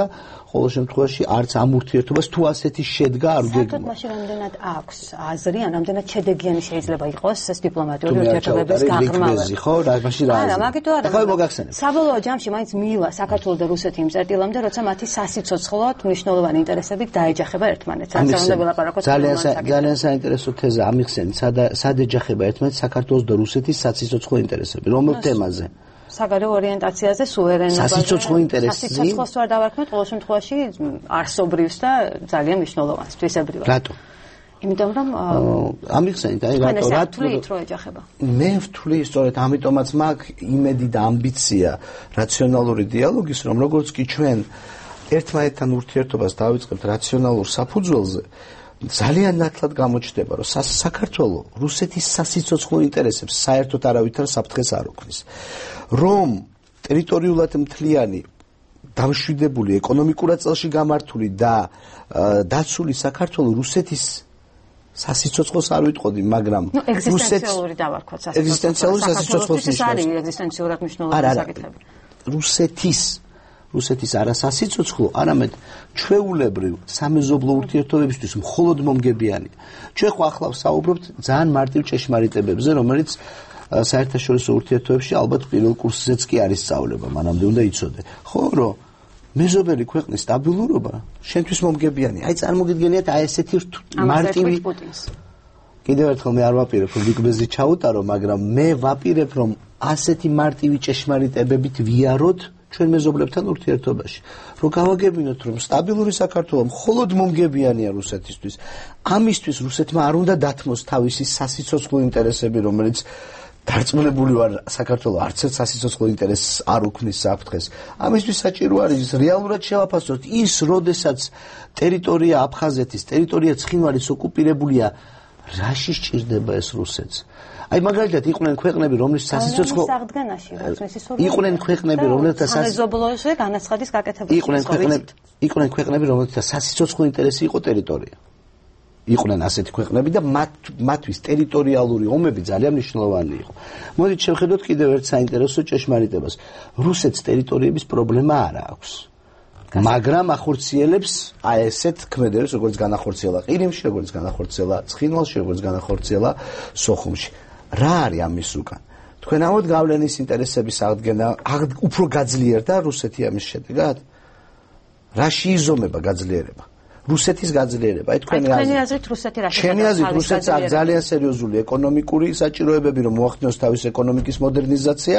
ყოველ შემთხვევაში არც ამ ურთიერთობას თუ ასეთი შედგა არ გეგმა. საერთოდ მაშინ რამდენად აქვს აზრი, ან რამდენად შედეგიანი შეიძლება იყოს ეს დიპლომატიური ურთიერთობების გაღრმავება. ხო, რა მაშინ რა. არა, მაგითო არა. ხო, მოგახსენებ. საბოლოო ჯამში მაინც მიილა საქართველოს და რუსეთი იმ წერტილამდე, როცა მათი სასიცოცხლოდ მნიშვნელოვანი ინტერესებით დაეჯახება ერთმანეთს. ძალიან საინტერესო თეზა ამიხსენით, სად ეჯახება ერთმანეთს საქართველოს და რუსეთის სასიცოცხლო ინტერესები, რომელ თემაზე? საგარეო ორიენტაციაზე, სუვერენობაზე. სასიცოცხლო ინტერესზე. სასიცოცხლოს ვარ დავარქმევთ ყოველ შემთხვევაში არსობრივს და ძალიან მნიშვნელოვანს თვისებრივად. რატო? იმიტომ რომ ამიხსენით, აი რატო რო ეჯახება. მე ვთვლი სწორედ ამიტომაც მაქვს იმედი და ამბიცია რაციონალური დიალოგის, რომ როგორც კი ჩვენ ერთმანეთთან ურთიერთობას დავიწყებთ რაციონალურ საფუძველზე, ძალიან ნათლად გამოჩნდება, რომ საქართველოს რუსეთის სასიცოცხლო ინტერესებს საერთოდ არავითარ საფრთხეს არ უქმნის. რომ ტერიტორიულად მთლიანი, დამშვიდებული, ეკონომიკურად წელში გამართული და დაცული საქართველოს რუსეთის სასიცოცხლოს არ ვიტყოდი, მაგრამ ეგზისტენციალური დავარქვათ სასიცოცხლოს. ეგზისტენციალური სასიცოცხლოს არის ეგზისტენციურად მნიშვნელოვანი საკითხები. რუსეთის არა სასიცოცხლო, არამედ ჩვეულებრივ სამეზობლო ურთიერთობებისთვის მხოლოდ მომგებიანია. ჩვენ ხო ახლა ვსაუბრობთ ძალიან მარტივ ჭეშმარიტებებზე, რომელიც საერთაშორისო ურთიერთობებში ალბათ პირველ კურსზეც კი არის სწავლება, მანამდე უნდა იცოდე. ხო, რომ მეზობელი ქვეყნის სტაბილურობა შენთვის მომგებიანია. აი წარმოგიდგენიათ აი ესეთი მარტივი კიდევ ერთხელ მე არ ვაპირებ რომ ლიკბეზი ჩაუტარო, მაგრამ მე ვაპირებ რომ ასეთი მარტივი ჭეშმარიტებებით ვიაროთ ჩვენ მეზობლებთან ურთიერთობაში. რომ გავაგებინოთ რომ სტაბილური საქართველო მხოლოდ მომგებიანია რუსეთისთვის. ამისთვის რუსეთმა არ უნდა დათმოს თავისი სასიცოცხლო ინტერესები, რომელიც დარწმუნებული ვარ საქართველოს არც ერთ სასიცოცხლო ინტერესს არ უქმნის საფრთხეს. ამისთვის საჭირო არის რეალურად შევაფასოთ ის, როდესაც ტერიტორია აფხაზეთის, ტერიტორია ცხინვალის ოკუპირებულია, რაში სჭირდება ეს რუსეთს? აი მაგალითად იყვნენ ქვეყნები, რომლის სასიცოცხლო იყვნენ ქვეყნები, რომელთა სამეზობლოზე განაცხადის გაკეთება იყვნენ ქვეყნები, რომელთა სასიცოცხლო ინტერესი იყო ტერიტორია. იყვნენ ასეთი ქვეყნები და მათთვის ტერიტორიალური ომები ძალიან მნიშვნელოვანი იყო. მოდით შევხედოთ კიდევ ერთ საინტერესო ჭეშმარიტებას. რუსეთს ტერიტორიების პრობლემა არ აქვს. მაგრამ ახორციელებს აი ესეთ ქმედებს, როგორც განახორციელა ყირიმში, როგორც განახორციელა ცხინვალში, როგორც განახორციელა სოხუმში. რა არის ამის უკან? თქვენ ამოდ გავლენის ინტერესების აღდგენა უფრო გაძლიერდა რუსეთი ამის შედეგად? რაში იზომება გაძლიერება? რუსეთის გაძლიერება. აი თქვენი აზრით რუსეთი რა შეხედავს? ჩემი აზრით რუსეთს აქვს ძალიან სერიოზული ეკონომიკური საჭიროებები, რომ მოახდინოს თავის ეკონომიკის მოდერნიზაცია.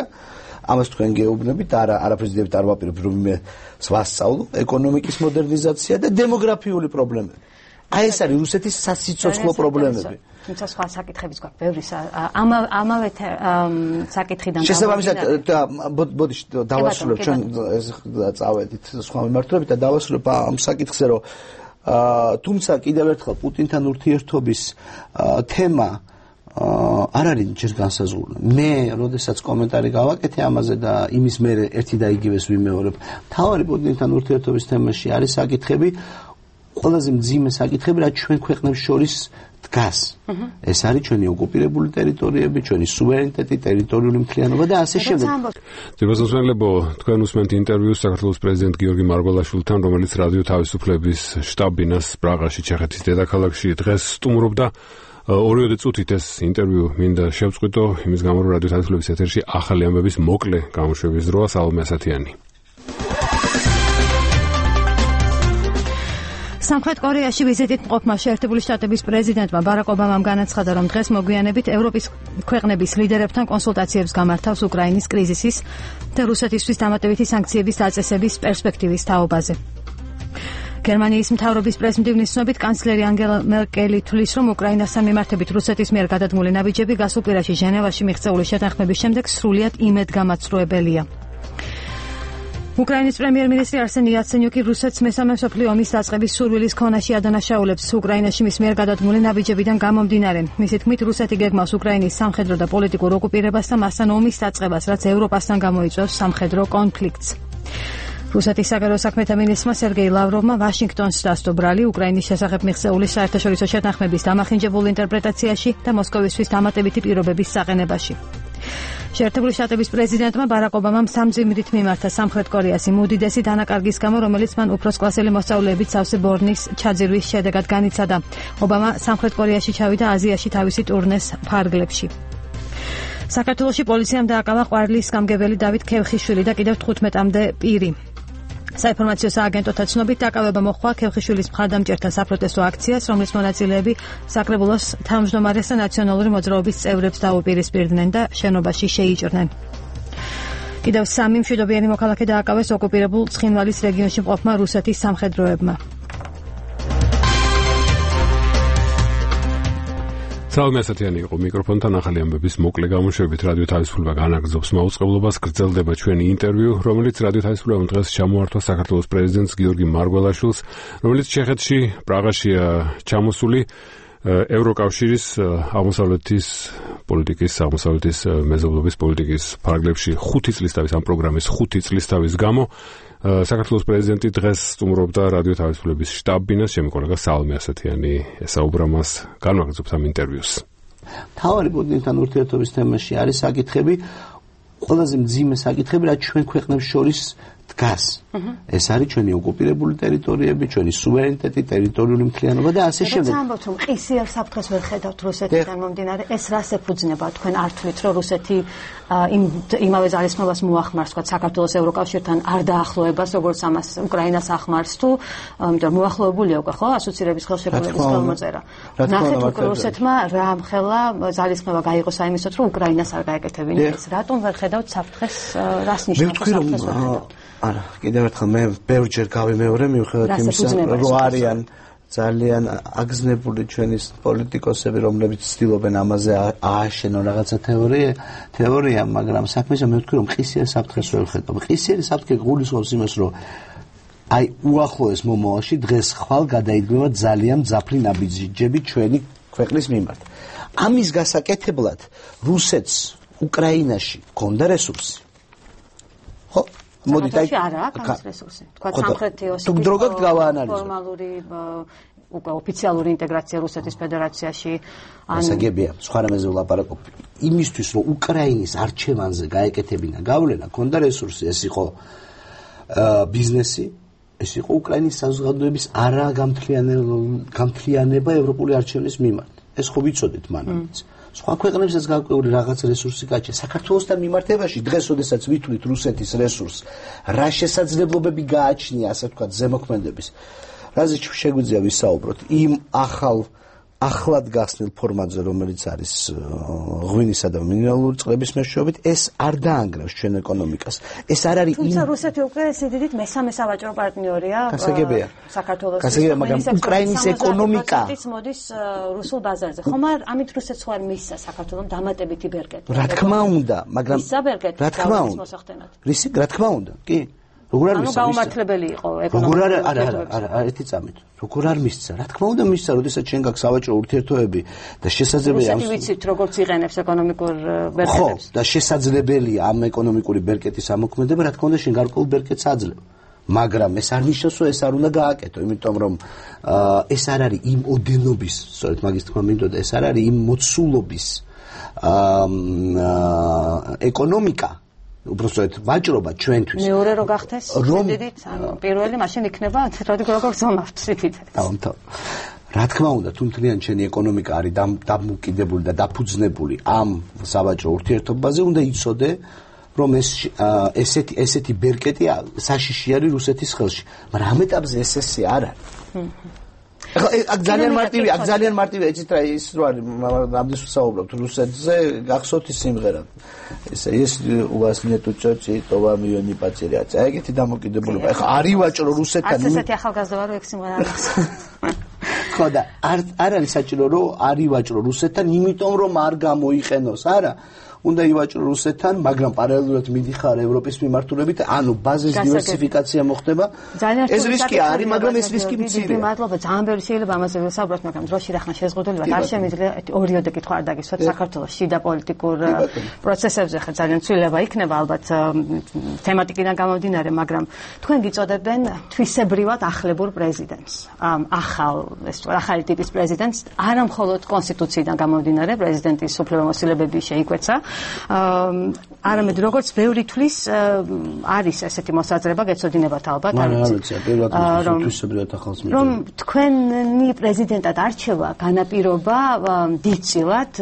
ამას თქვენ გეუბნებით, არაფრიზდებით არ ვაპირებ, რომ მე ვასწავლო ეკონომიკის მოდერნიზაცია და დემოგრაფიული პრობლემები. აი ეს არის რუსეთის სასიცოცხლო პრობლემები. თუმცა სხვა საკითხებიც გვაქვს, ბევრი ამავე საკითხიდან შესაბამისად ბოდიში დავასრულებ ჩვენ წავედით სხვა მიმართულებით და დავასრულებ ამ საკითხზე, რომ თუმცა კიდევ ერთხელ პუტინთან ურთიერთობის თემა არ არის ჯერ განსაზღვრული. მე, როდესაც კომენტარი გავაკეთე ამაზე და იმის მერე ერთი და იგივეს ვიმეორებ, მთავარი პუტინთან ურთიერთობის თემაში არის საკითხები, ყველაზე მძიმე საკითხები, რაც ჩვენ ქვეყნებს შორის დგას. ეს არის ჩვენი ოკუპირებული ტერიტორიები, ჩვენი სუვერენიტეტი, ტერიტორიული მთლიანობა და ასე შემდეგ. ძებასმოსმენლებო, თქვენ უსმენთ ინტერვიუს საქართველოს პრეზიდენტ გიორგი მარგველაშვილთან, რომელიც რადიო თავისუფლების შტაბ-ბინას პრაღაში, ჩეხეთის დედაქალაქში დღეს სტუმრობდა. 2 წუთით ეს ინტერვიუ მინდა შევწყვიტო, იმის გამო რომ რადიო თავისუფლების ეთერში ახალი ამბების მოკლე გამოშვების დროა. სალომე ასათიანი. სამხრეთ კორეაში ვიზიტით მყოფმა შეერთებული შტატების პრეზიდენტმა ბარაკ ობამამ განაცხადა, რომ დღეს მოგვიანებით ევროპის ქვეყნების ლიდერებთან კონსულტაციებს გამართავს უკრაინის კრიზისის და რუსეთისთვის დამატებითი სანქციების დაწესების პერსპექტივის თაობაზე. გერმანიის მთავრობის პრესმდივნის ცნობით კანცლერი ანგელა მერკელი თვლის, რომ უკრაინასთან მიმართებით რუსეთის მიერ გადადგმული ნაბიჯები გასულ კვირაში ჟენევაში მიღწეული შეთანხმების შემდეგ სრულიად იმედგამაცრუებელია. უკრაინის პრემიერ-მინისტრი არსენი იაცენიუკი რუსეთს მესამე მსოფლიო ომის დაწყების სურვილის ქონაში ადანაშაულებს უკრაინაში მის მიერ გადადგმული ნაბიჯებიდან გამომდინარე. მისი თქმით, რუსეთი გეგმავს უკრაინის სამხედრო და პოლიტიკურ ოკუპირებას და მასთან ომის დაწყებას, რაც ევროპასთან გამოიწვევს სამხედრო კონფლიქტს. რუსეთის საგარეო საქმეთა მინისტრმა სერგეი ლავროვმა ვაშინგტონს დასდო ბრალი უკრაინის შესახებ მიღწეული საერთაშორისო შეთანხმების დამახინჯებულ ინტერპრეტაციაში და მოსკოვისთვის დამატებითი პირობების საყენებაში. შეერთებული შტატების პრეზიდენტმა ბარაკ ობამამ სამძიმრით მიმართა სამხრეთ კორეას იმ უდიდესი დანაკარგის გამო, რომელიც მან უფროს კლასელი მოსწავლეებით სავსე ბორნის ჩაძირვის შედეგად განიცადა. ობამა სამხრეთ კორეაში ჩავიდა აზიაში თავისი ტურნეს ფარგლებში. საქართველოში პოლიციამ დააკავა ყვარლის გამგებელი დავით ქევხიშვილი და კიდევ 15-მდე პირი. საინფორმაციო სააგენტოთა ცნობით დაკავება მოჰყვა ქევხიშვილის მხარდამჭერთა საპროტესტო აქციას, რომლის მონაწილეები საკრებულოს თავმჯდომარეს და ნაციონალური მოძრაობის წევრებს დაუპირისპირდნენ და შენობაში შეიჭრნენ. კიდევ 3 მშვიდობიანი მოქალაქე დააკავეს ოკუპირებულ ცხინვალის რეგიონში მყოფმა რუსეთის სამხედროებმა. Salve ასეთიანი იყო მიკროფონთან ახალი ამბების მოკლე გამოშვებით რადიო თავისუფლება განაგრძობს მაუწყებლობას გრძელდება ჩვენი ინტერვიუ რომელიც რადიო თავისუფლებამ დღეს ჩამოართვა საქართველოს პრეზიდენტს გიორგი მარგველაშვილს რომელიც ჩეხეთში პრაღაშია ჩამოსული ევროკავშირის აღმოსავლეთის პოლიტიკის აღმოსავლეთის მეზობლობის პოლიტიკის ფარგლებში 5 წლის თავის ამ პროგრამის 5 წლის თავის გამო საქართველოს პრეზიდენტი დღეს სტუმრობდა რადიო თავისუფლების შტაბ-ბინას, ჩემი კოლეგა სალმე ასათიანი ესაუბრა მას, განვაგრძობთ ამ ინტერვიუს. თავარი პუტინთან ურთიერთობის თემაში არის საკითხები, ყველაზე მძიმე საკითხები, რაც ჩვენ ქვეყნებს შორის დგას. ეს არის ჩვენი ოკუპირებული ტერიტორიები, ჩვენი სუვერენიტეტი, ტერიტორიული მთლიანობა და ასე შემდეგ. როცა ამბობთ, რომ ყისიერ საფრთხეს ვერ ხედავთ რუსეთიდან მომდინარე, ეს რას ეფუძნება? თქვენ არ თვლით, რომ რუსეთი იმავე ძალისხმევას მოახმარს, თქვა საქართველოს ევროკავშირთან არ დაახლოებას, როგორც ამას უკრაინას ახმარს თუ, იმიტომ რომ მოახლოებულია უკვე, ხო, ასოცირების ხელშეკრულების ხელმოწერა. ნახეთ, რუსეთმა რა ამხელა ძალისხმევა გაიღო საიმისოდ, რომ უკრაინას არ გაეკეთებინეს. რატომ ვერ ხედავთ საფრთხეს, რას ნიშნავს საფრთხეს ვერ ხედავთ? არა, კიდევ ერთხელ მე ბევრჯერ გავიმეორე მიუხედავად იმისა, რომ არიან ძალიან აგზნებული ჩვენი პოლიტიკოსები, რომლებიც ცდილობენ ამაზე ააშენონ რაღაცა თეორია, მაგრამ საქმეზე მე ვთქვი, რომ ყისიერ საფრთხეს ვერ ხედავ. ყისიერი საფრთხე გულისხმობს იმას, რომ აი უახლოეს მომავალში დღეს ხვალ გადაიდგება ძალიან მძაფრი ნაბიჯები ჩვენი ქვეყნის მიმართ. ამის გასაკეთებლად რუსეთს უკრაინაში ჰქონდა რესურსი. ხო? მოდით აი არა აქვს რესურსი. თქვა სამხრეთი ოსეთის ფორმალური უკვე ოფიციალური ინტეგრაცია რუსეთის ფედერაციაში ან ასაგებია სხვა რამეზე ვლაპარაკობ. იმისთვის რომ უკრაინის არჩევანზე გაეკეთებინა გავლენა, ჰქონდა რესურსი, ეს იყო ბიზნესი, ეს იყო უკრაინის საზოგადოების არაგამთლიანება ევროპული არჩევნის მიმართ. ეს ხო ვიცოდით მანამდეც. სხვა ქვეყნებსაც გაკვეული რაღაც რესურსი გაჩნდა. საქართველოსთან მიმართებაში დღეს, როდესაც ვითვლით რუსეთის რესურსს, რა შესაძლებლობები გააჩნია, ასე ვთქვათ, ზემოქმედების. რაზე შეგვიძლია ვისაუბროთ? იმ ახლად გახსნილ ფორმატზე, რომელიც არის ღვინისა და მინერალური წყლების მეშვეობით, ეს არ დაანგრევს ჩვენ ეკონომიკას. ეს არ არის თუმცა რუსეთი უკვე სიდიდით მესამე სავაჭრო პარტნიორია საქართველოს. გასაგებია, მაგრამ უკრაინის ეკონომიკა მოდის რუსულ ბაზარზე. ხომ ამით რუსეთს ხوار მისცა საქართველოს დამატებითი ბერკეტი. რა თქმა უნდა, მაგრამ რა თქმა უნდა. რა თქმა უნდა, კი. როგორ არ მისცა? გაუმართლებელი იყო ეკონომიკა. არა, ერთი წამით. როგორ არ მისცა? რა თქმა უნდა მისცა, როდესაც ჩვენ გაქვს სავაჭრო ურთიერთობები და შესაძლებელია რუსეთი ვიცით როგორც იყენებს ეკონომიკურ ბერკეტებს. ხო, და შესაძლებელია ამ ეკონომიკური ბერკეტის ამოქმედება, რა თქმა უნდა შენ გარკვეულ ბერკეტს აძლევ. მაგრამ ეს არ ნიშნავს, რომ ეს არ უნდა გააკეთო, იმიტომ რომ ეს არ არის იმ ოდენობის, სწორედ მაგის თქმა მინდოდა, ეს არ არის იმ მოცულობის ეკონომიკა უბრალოდ ვაჭრობა ჩვენთვის. მეორე რო გახდეს სიდიდით, ანუ პირველი მაშინ იქნება როგორც ზონავთ სიდიდით. დავამთავრე. რა თქმა უნდა, თუ მთლიან ჩვენი ეკონომიკა არის დამოკიდებული და დაფუძნებული ამ სავაჭრო ურთიერთობაზე, უნდა იცოდე, რომ ესეთი ბერკეტი საშიში არის რუსეთის ხელში. მაგრამ ამ ეტაპზე ესე არ არის. აქ ძალიან მარტივია, იცით რა ის რო არის, ამდენს ვსაუბრობთ რუსეთზე, გახსოვთ ის სიმღერა. ეს у вас нету чёчи, то вам её не потерять. აი ეგეთი დამოკიდებულება. ეხლა არის ვაჭრო რუსეთთან. ასეთი ახალგაზრდა რო ეგ სიმღერა არის. ხო და არ არის საჭირო რომ არის ვაჭრო რუსეთთან, იმიტომ რომ არ გამოიყენოს, არა. უნდა ივაჭრო რუსეთთან, მაგრამ პარალელურად მიდიხარ ევროპის მიმართულებით, ანუ ბაზის დივერსიფიკაცია მოხდება. ეს რისკი არის, მაგრამ ეს რისკი მცირეა. მადლობა, ძალიან ბევრი შეიძლება ამაზე ვსაუბროთ, მაგრამ დროში რახან შეზღუდულება არ შემიძლია ორიოდე კითხვა არ დაგისვათ საქართველოს შიდა პოლიტიკურ პროცესებზე, ხა ძალიან ცვლილება იქნება ალბათ თემატიკიდან გამომდინარე, მაგრამ თქვენ გიწოდებენ თვისებრივად ახლებურ პრეზიდენტს. ახალი ტიპის პრეზიდენტს, არა მხოლოდ კონსტიტუციიდან გამომდინარე, პრეზიდენტის უფლებამოსილებები შეიკვეცა, არამედ როგორც ბევრი თვლის არის ესეთი მოსაზრება, გეცოდინებათ ალბათ, რომ თქვენი პრეზიდენტად არჩევა განაპირობა დიდწილად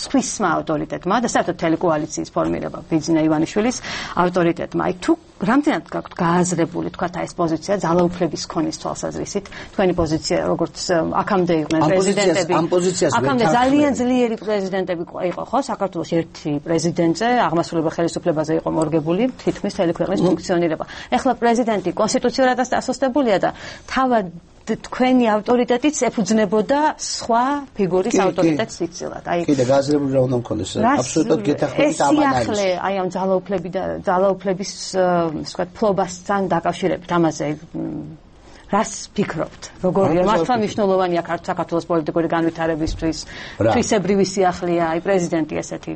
სხვისმა ავტორიტეტმა და საერთოდ მთელი კოალიციის ფორმირება ბიძინა ივანიშვილის ავტორიტეტმა. აი თუ რამდენად გაქვთ გააზრებული თქვათ ეს პოზიცია ძალაუფლების ქონის თვალსაზრისით, თქვენი პოზიცია როგორც აქამდე იყვნენ პრეზიდენტები, აქამდე ძალიან ძლიერი პრეზიდენტები იყო ხო საქართველოს ერთი პრეზიდენტზე, აღმასრულებელ ხელისუფლებაზე იყო მორგებული თითქმის მთელი ქვეყნის ფუნქციონირება. ეხლა პრეზიდენტი კონსტიტუციურადაც დასუსტებულია და თავად თქვენი ავტორიტეტიც ეფუძნებოდა სხვა ფიგურის ავტორიტეტს დიდწილად. აი კიდე გააზრებული რა უნდა მქონდეს, აბსოლუტურად გეთანხმებით ამან არის. ეს აი ამ ძალაუფლების ვთქვათ ფლობასთან დაკავშირებით ამაზე რას ფიქრობთ? როგორია მართლა მნიშვნელოვანია საქართველოს პოლიტიკური განვითარებისთვის, თვისებრივი სიახლეა, აი პრეზიდენტი ესეთი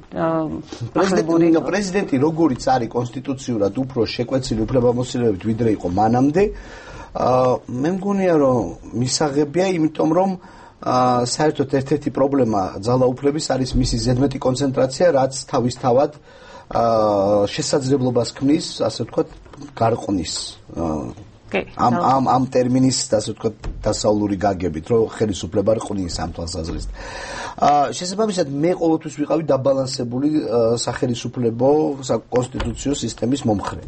პრეზიდენტი როგორიც არის კონსტიტუციურად უფრო შეკვეცილი უფლებამოსილებით ვიდრე იყო მანამდე, მე მგონია რომ მისაღებია, იმიტომ რომ საერთოდ ერთ-ერთი პრობლემა ძალაუფლების არის მისი ზედმეტი კონცენტრაცია, რაც თავისთავად შესაძლებლობას ქმნის, ასე ვთქვათ, გარყვნის ამ ტერმინის, ასე ვთქვათ, დასავლური გაგებით, რომ ხელისუფლება რყნის ამ თვალსაზრისით. შესაბამისად, მე ყოველთვის ვიყავი დაბალანსებული სახელისუფლებო საკონსტიტუციო სისტემის მომხრე.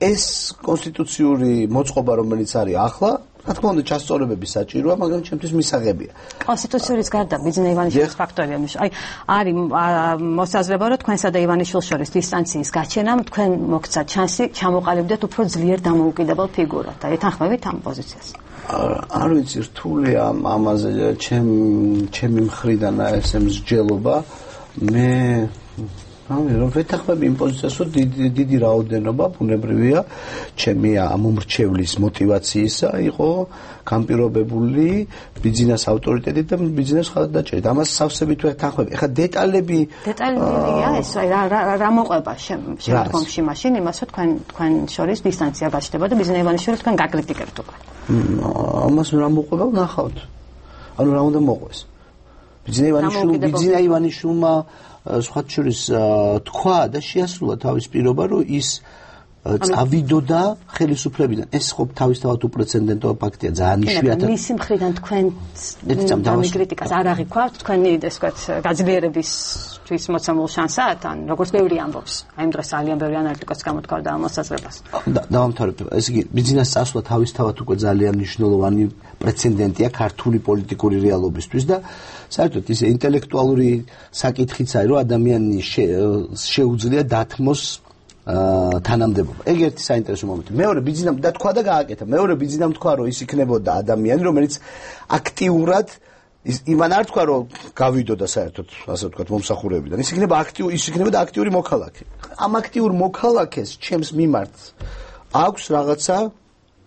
ეს კონსტიტუციური მოწყობა, რომელიც არის ახლა, რა თქმა უნდა, ჩასწორებები საჭიროა, მაგრამ ჩემთვის მისაღებია. კონსტიტუციის გარდა ბიძინა ივანიშვილის ფაქტორია. არის მოსაზრება, რომ თქვენსა და ივანიშვილს შორის დისტანციის გაჩენამ თქვენ მოგცათ შანსი ჩამოყალიბდეთ უფრო ძლიერ დამოუკიდებელ ფიგურად. და ეთანხმებით ამ პოზიციას. არ ვიცი, რთული ამაზე ჩემი მხრიდან ესე მსჯელობა. მე რომ ვეთანხმები იმ პოზიციას, რომ დიდი რაოდენობა ბუნებრივია ჩემი ამომრჩევლის მოტივაციისა იყო განპირობებული ბიძინას ავტორიტეტით და ბიძინას ხალხდაჭერით. ამას სავსებით ვეთანხმები. ეხლა დეტალია ეს რა მოყვება შემდგომში მაშინ იმას, რომ თქვენ შორის დისტანცია გაჩნდება და ბიძინა ივანიშვილი თქვენ გაკრიტიკებთ უკვე. ამას რა მოყვება ვნახავთ. ანუ რა უნდა მოყვეს. ბიძინა ივანიშვილმა სხვათა შორის თქვა და შეასრულა თავის პირობა, რომ ის წავიდოდა ხელისუფლებიდან. ეს ხო თავისთავად უპრეცედენტო ფაქტია, ძალიან იშვიათად. მისი მხრიდან თქვენ კრიტიკას არ აღიქვავთ, თქვენი ეს ვთქვათ გაძლიერებისთვის მოცემულ შანსად, ან როგორც ბევრი ამბობს. აი ამ დროს ძალიან ბევრი ანალიტიკოსი გამოთქვამდა ამ მოსაზრებას. დავამთავრებ. ეს იგი ბიზნეს წასვლა თავისთავად უკვე ძალიან მნიშვნელოვანი პრეცედენტია ქართული პოლიტიკური რეალობისთვის და საერთოდ ის ინტელექტუალური საკითხიც არის, რომ ადამიანის შეუძლია დათმოს თანამდებობა. ეგ ერთი საინტერესო მომენტი. მეორე ბიზნესამ და თქვა და გააკეთა. მეორე ბიზნესამ თქვა, რომ ის იქნებოდა ადამიანი, რომელიც აქტიურად იმან არ თქვა, რომ გავიდოდა საერთოდ, ასე ვთქვათ, მომსახურებიდან. ის იქნებოდა აქტიური მოქალაქე. ამ აქტიურ მოქალაქეს ჩემს მიმართ აქვს რაღაცა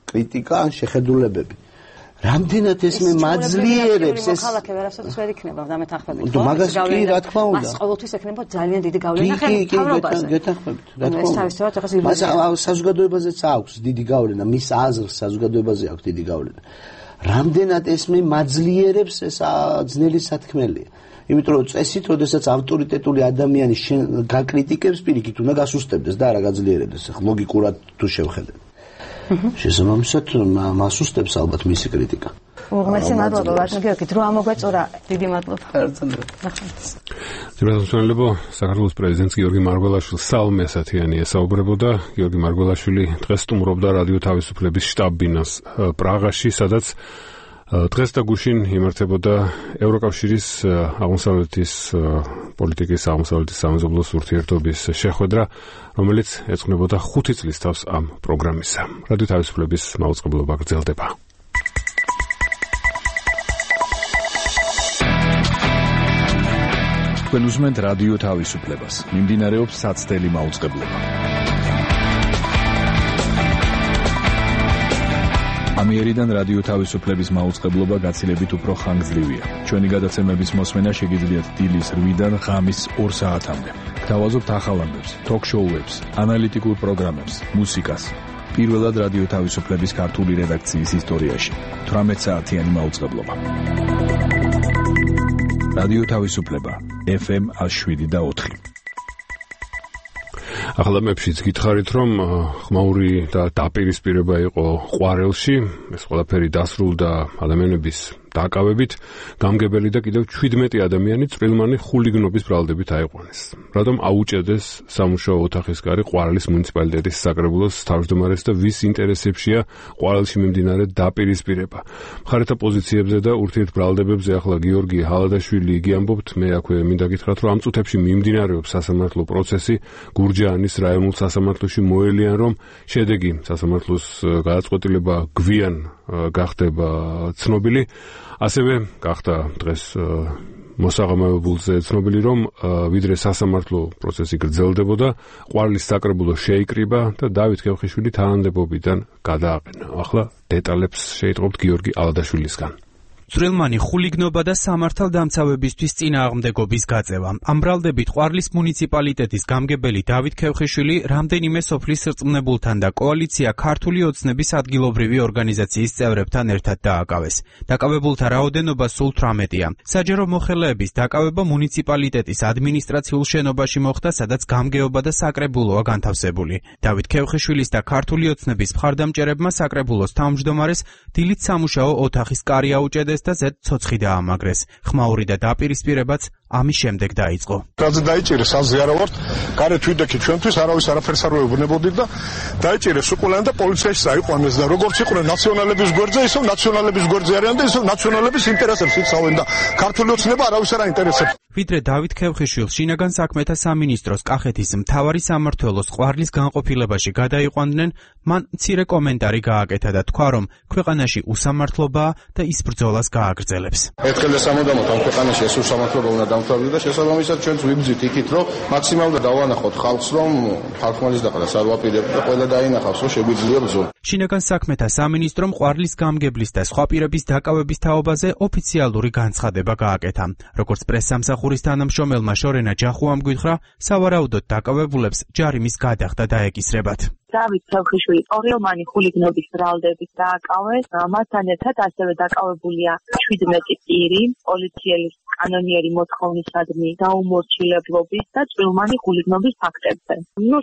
კრიტიკა ან შეხედულებები. რამდენად ეს მე მაძლიერებს ეს მოქალაქე ვერასოდეს ვერ იქნება და მეთანხმებით. მაგას კი რა თქმა უნდა. მას ყოველთვის ექნება ძალიან დიდი გავლენა ხელმძღვანელობაზე. გეთანხმებით. რა თქმა უნდა. მას საზოგადოებაზეც აქვს დიდი გავლენა, მის აზრს საზოგადოებაზე აქვს დიდი გავლენა. რამდენად ეს მე მაძლიერებს ეს ძნელი სათქმელია. იმიტომ რომ წესით, როდესაც ავტორიტეტული ადამიანი გაკრიტიკებს, პირიქით უნდა გასუსტებდეს და არა გაძლიერებდეს. ახლა ლოგიკურად თუ შევხედეთ. შესაბამისად მასუსტებს ალბათ მისი კრიტიკა. უღმესი მადლობა ვარდნა გიორგი, დრო ამოგვეწურა. დიდი მადლობა. ძირითადად საქართველოს პრეზიდენტს გიორგი მარგველაშვილს საალმე ასათიანი ესაუბრებოდა. გიორგი მარგველაშვილი დღეს სტუმრობდა რადიო თავისუფლების შტაბ-ბინას პრაღაში, სადაც დღეს და გუშინ იმართებოდა ევროკავშირის აღმოსავლეთის პოლიტიკის აღმოსავლეთის სამეზობლოს ურთიერთობის შეხვედრა, რომელიც ეძღვნებოდა 5 წლის თავს ამ პროგრამისა. რადიო თავისუფლების მაუწყებლობა გრძელდება. თქვენ უსმენთ რადიო თავისუფლებას. მიმდინარეობს საცდელი მაუწყებლობა. ამიერიდან რადიო თავისუფლების მაუწყებლობა გაცილებით უფრო ხანგრძლივია. ჩვენი გადაცემების მოსმენა შეგიძლიათ დილის 8-დან ღამის 2 საათამდე. გთავაზობთ ახალ ამბებს, ток-შოუებს, ანალიტიკურ პროგრამებს, მუსიკას. პირველად რადიო თავისუფლების ქართული რედაქციის ისტორიაში 18 საათიანი მაუწყებლობა. რადიო თავისუფლება FM 107.4. ახლა მეფშიც გითხარით, რომ ხმაური და დაპირისპირება იყო ყვარელში, ეს ყველაფერი დასრულდა ადამიანების დაკავებით, გამგებელი და კიდევ 17 ადამიანი წვრილმანი ხულიგნობის ბრალდებით აიყვანეს. რადგან აუჭედეს სამუშაო ოთახის კარი ყვარელის მუნიციპალიტეტის საკრებულოს თავმჯდომარეს და ვის ინტერესებშია ყვარელში მიმდინარე დაპირისპირება. მხარეთა პოზიციებზე და ურთიერთბრალდებებზე ახლა გიორგი ჰალადაშვილი იგი ამბობთ, მე აქვე მინდა გითხრათ, რომ ამ წუთებში მიმდინარეობს სასამართლო პროცესი გურჯაანის რაიონულ სასამართლოში მოელიან, რომ შედეგი სასამართლოს გადაწყვეტილება გვიან გახდება ცნობილი. ასევე გახდა დღეს მოსაღამოებულზე ცნობილი, რომ ვიდრე სასამართლო პროცესი გრძელდებოდა, ყვარლის საკრებულო შეიკრიბა და დავით ქევხიშვილი თანამდებობიდან გადააყენა. ახლა დეტალებს შეიტყობთ გიორგი ალადაშვილისგან. წვრილმანი ხულიგნობა და სამართალდამცავებისთვის წინააღმდეგობის გაწევა. ამ ბრალდებით ყვარლის მუნიციპალიტეტის გამგებელი დავით ქევხიშვილი რამდენიმე სოფლის რწმუნებულთან და კოალიცია ქართული ოცნების ადგილობრივი ორგანიზაციის წევრებთან ერთად დააკავეს. დაკავებულთა რაოდენობა სულ 18-ია. საჯარო მოხელეების დაკავება მუნიციპალიტეტის ადმინისტრაციულ შენობაში მოხდა, სადაც გამგეობა და საკრებულოა განთავსებული. დავით ქევხიშვილის და ქართული ოცნების მხარდამჭერებმა საკრებულოს თავმჯდომარეს დილით სამუშაო ოთახის კარი აუჭედეს და ზედ ცოცხი დაამაგრეს. ხმაური და დაპირისპირებაც ამის შემდეგ დაიწყო. რაზე დაიჭირეს, აზზე არა ვართ, გარეთ ვიდექით ჩვენთვის არავის არაფერს არ ვეუბნებოდით და დაიჭირეს უყულან და პოლიციაში წაიყვანეს და როგორც იყვნენ ნაციონალების გვერდზე, ისევ ნაციონალების გვერდზე არიან და ისევ ნაციონალების ინტერესებს იცავენ და ქართული ოცნება არავის არ აინტერესებს. ვიდრე დავით ქევხიშვილს შინაგან საქმეთა სამინისტროს კახეთის მთავარი სამმართველოს ყვარლის განყოფილებაში გადაიყვანდნენ, მან მცირე კომენტარი გააკეთა და თქვა, რომ ქვეყანაში უსამართლობაა და ის ბრძოლას გააგრძელებს. ერთხელ და სამუდამოდ ამ ქვეყანაში ეს უსამართლობა უნდა დამთავრდეს და შესაბამისად ჩვენც ვიბრძვით იქით, რომ მაქსიმალურად დავანახოთ ხალხს, რომ ხალხმალის დაყრას არ ვაპირებთ და ყველა დაინახავს, რომ შეგვიძლია ბრძოლა. შინაგან საქმეთა სამინისტრომ ყვარლის გამგებლის და სხვა პირების დაკავების თაობაზე ოფიციალური განცხადება გააკეთა. როგორც პრესსამსახურის თანამშრომელმა შორენა ჯახუამ გვითხრა, სავარაუდოდ დაკავებულებს ჯარიმის გადახდა დაეკისრებათ. დავით ქევხიშვილი წვრილმანი ხულიგნობის ბრალდებით დააკავეს. მასთან ერთად ასევე დაკავებულია 17 პირი პოლიციელის კანონიერი მოთხოვნისადმი დაუმორჩილებლობის და წვრილმანი ხულიგნობის ფაქტებზე.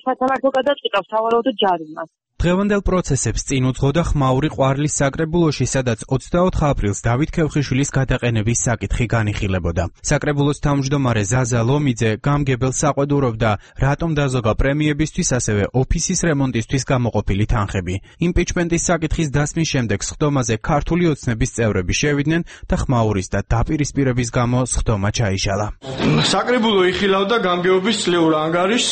სასამართლო გადაწყვიტავს სავარაუდოდ ჯარიმას. დღევანდელ პროცესებს წინ უძღოდა ხმაური ყვარლის საკრებულოში, სადაც 24 აპრილს დავით ქევხიშვილის გადაყენების საკითხი განიხილებოდა. საკრებულოს თავმჯდომარე ზაზა ლომიძე გამგებელს საყვედურობდა, რატომ დაზოგა პრემიებისთვის, ასევე ოფისის რემონტისთვის გამოყოფილი თანხები. იმპიჩმენტის საკითხის დასმის შემდეგ სხდომაზე ქართული ოცნების წევრები შევიდნენ და ხმაურის და დაპირისპირების გამო სხდომა ჩაიშალა. საკრებულო იხილავდა გამგეობის წლიურ ანგარიშს,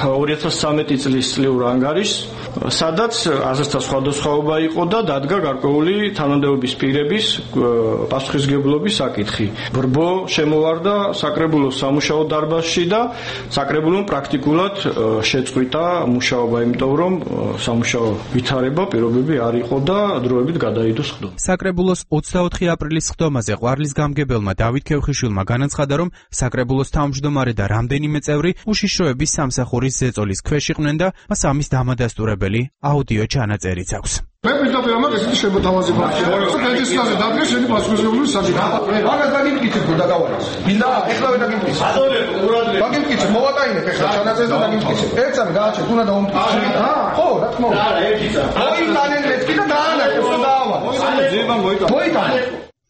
2013 წლის წლიურ ანგარიშს, სადაც აზრთა სხვადასხვაობა იყო და დადგა გარკვეული თანამდებობის პირების პასუხისმგებლობის საკითხი. ბრბო შემოვარდა საკრებულოს სამუშაო დარბაზში და საკრებულომ პრაქტიკულად შეწყვიტა მუშაობა, იმიტომ რომ სამუშაო ვითარება პირობები არ იყო და დროებით გადაიდო სხდომა. საკრებულოს 24 აპრილის სხდომაზე ყვარლის გამგებელმა დავით ქევხიშვილმა განაცხადა, რომ საკრებულოს თავმჯდომარე და რამდენიმე წევრი უშიშროების სამსახურის ზეწოლის ქვეშ იყვნენ და მას ამის დამადასტურებელი აუდიო ჩანაწერიც აქვს. მე პირდაპირ ამას ესეთი შემოთავაზება აქვს. პეტიციაზე დადგეს შენი პასუხისმგებლობის საკითხი. მაგას დაგიმკიცებ თუ დაგავალეს. მინდა ეხლავე დაგიმკიცებ. დაგიმკიცებ, მოვატაინებ ეხლა ჩანაწერს და დაგიმკიცებ. ერთსამი გააჩენ, თუნდა დაუმტკიცე. ხო, რა თქმა უნდა. არა, ერთიცა. მოიტანე მეთქი და დაანახე, ხო დაავალე. მოიტანე.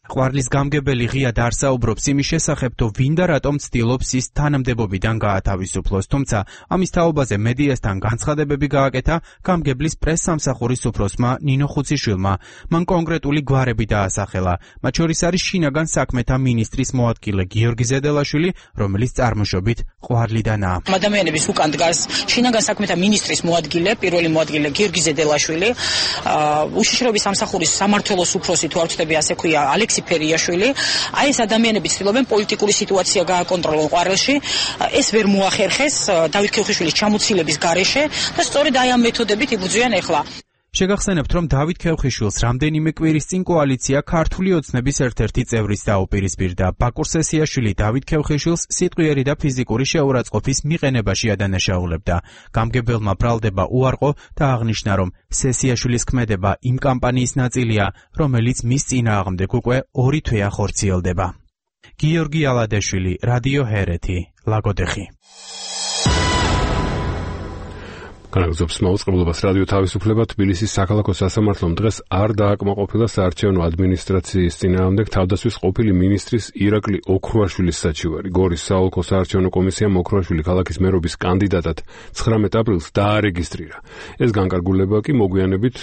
ყვარლის გამგებელი ღიად არ საუბრობს იმის შესახებ, თუ ვინ და რატომ ცდილობს ის თანამდებობიდან გაათავისუფლოს, თუმცა ამის თაობაზე მედიასთან განცხადებები გააკეთა გამგებლის პრესსამსახურის უფროსმა ნინო ხუციშვილმა. მან კონკრეტული გვარები დაასახელა, მათ შორის არის შინაგან საქმეთა მინისტრის მოადგილე გიორგი ზედელაშვილი, რომელიც წარმოშობით ყვარლიდანაა. ადამიანების უკან დგას შინაგან საქმეთა მინისტრის მოადგილე, პირველი მოადგილე გიორგი ზედელაშვილი, უშიშროების სამსახურის სამმართველოს უფროსი, თუ არ ვწდები, ასე ქვია, ფერიაშვილი. აი ეს ადამიანები ცდილობენ პოლიტიკური სიტუაცია გააკონტროლონ ყვარელში. ეს ვერ მოახერხეს დავით ქევხიშვილის ჩამოცილების გარეშე და სწორედ აი ამ მეთოდებით იბრძვიან ახლა. შეგახსენებთ, რომ დავით ქევხიშვილს რამდენიმე კვირის წინ კოალიცია ქართული ოცნების ერთ-ერთი წევრიც დაუპირისპირდა. ბაკურ სესიაშვილი დავით ქევხიშვილს სიტყვიერი და ფიზიკური შეურაცხყოფის მიყენებაში ადანაშაულებდა. გამგებელმა ბრალდება უარყო და აღნიშნა, რომ სესიაშვილის ქმედება იმ კამპანიის ნაწილია, რომელიც მის წინააღმდეგ უკვე 2 თვეა ხორციელდება. გიორგი ალადეშვილი, რადიო ჰერეთი, ლაგოდეხი. განაგზობს მაუწყებლობას რადიო თავისუფლება თბილისის საქალაქო სასამართლომ დღეს არ დააკმაყოფილა საარჩევნო ადმინისტრაციის წინააღმდეგ თავდაცვის ყოფილი მინისტრის ირაკლი ოქრუაშვილის საჩივარი. გორის საოლქო საარჩევნო კომისიამ ოქრუაშვილი ქალაქის მერობის კანდიდატად 19 აპრილს დაარეგისტრირა. ეს განკარგულება კი მოგვიანებით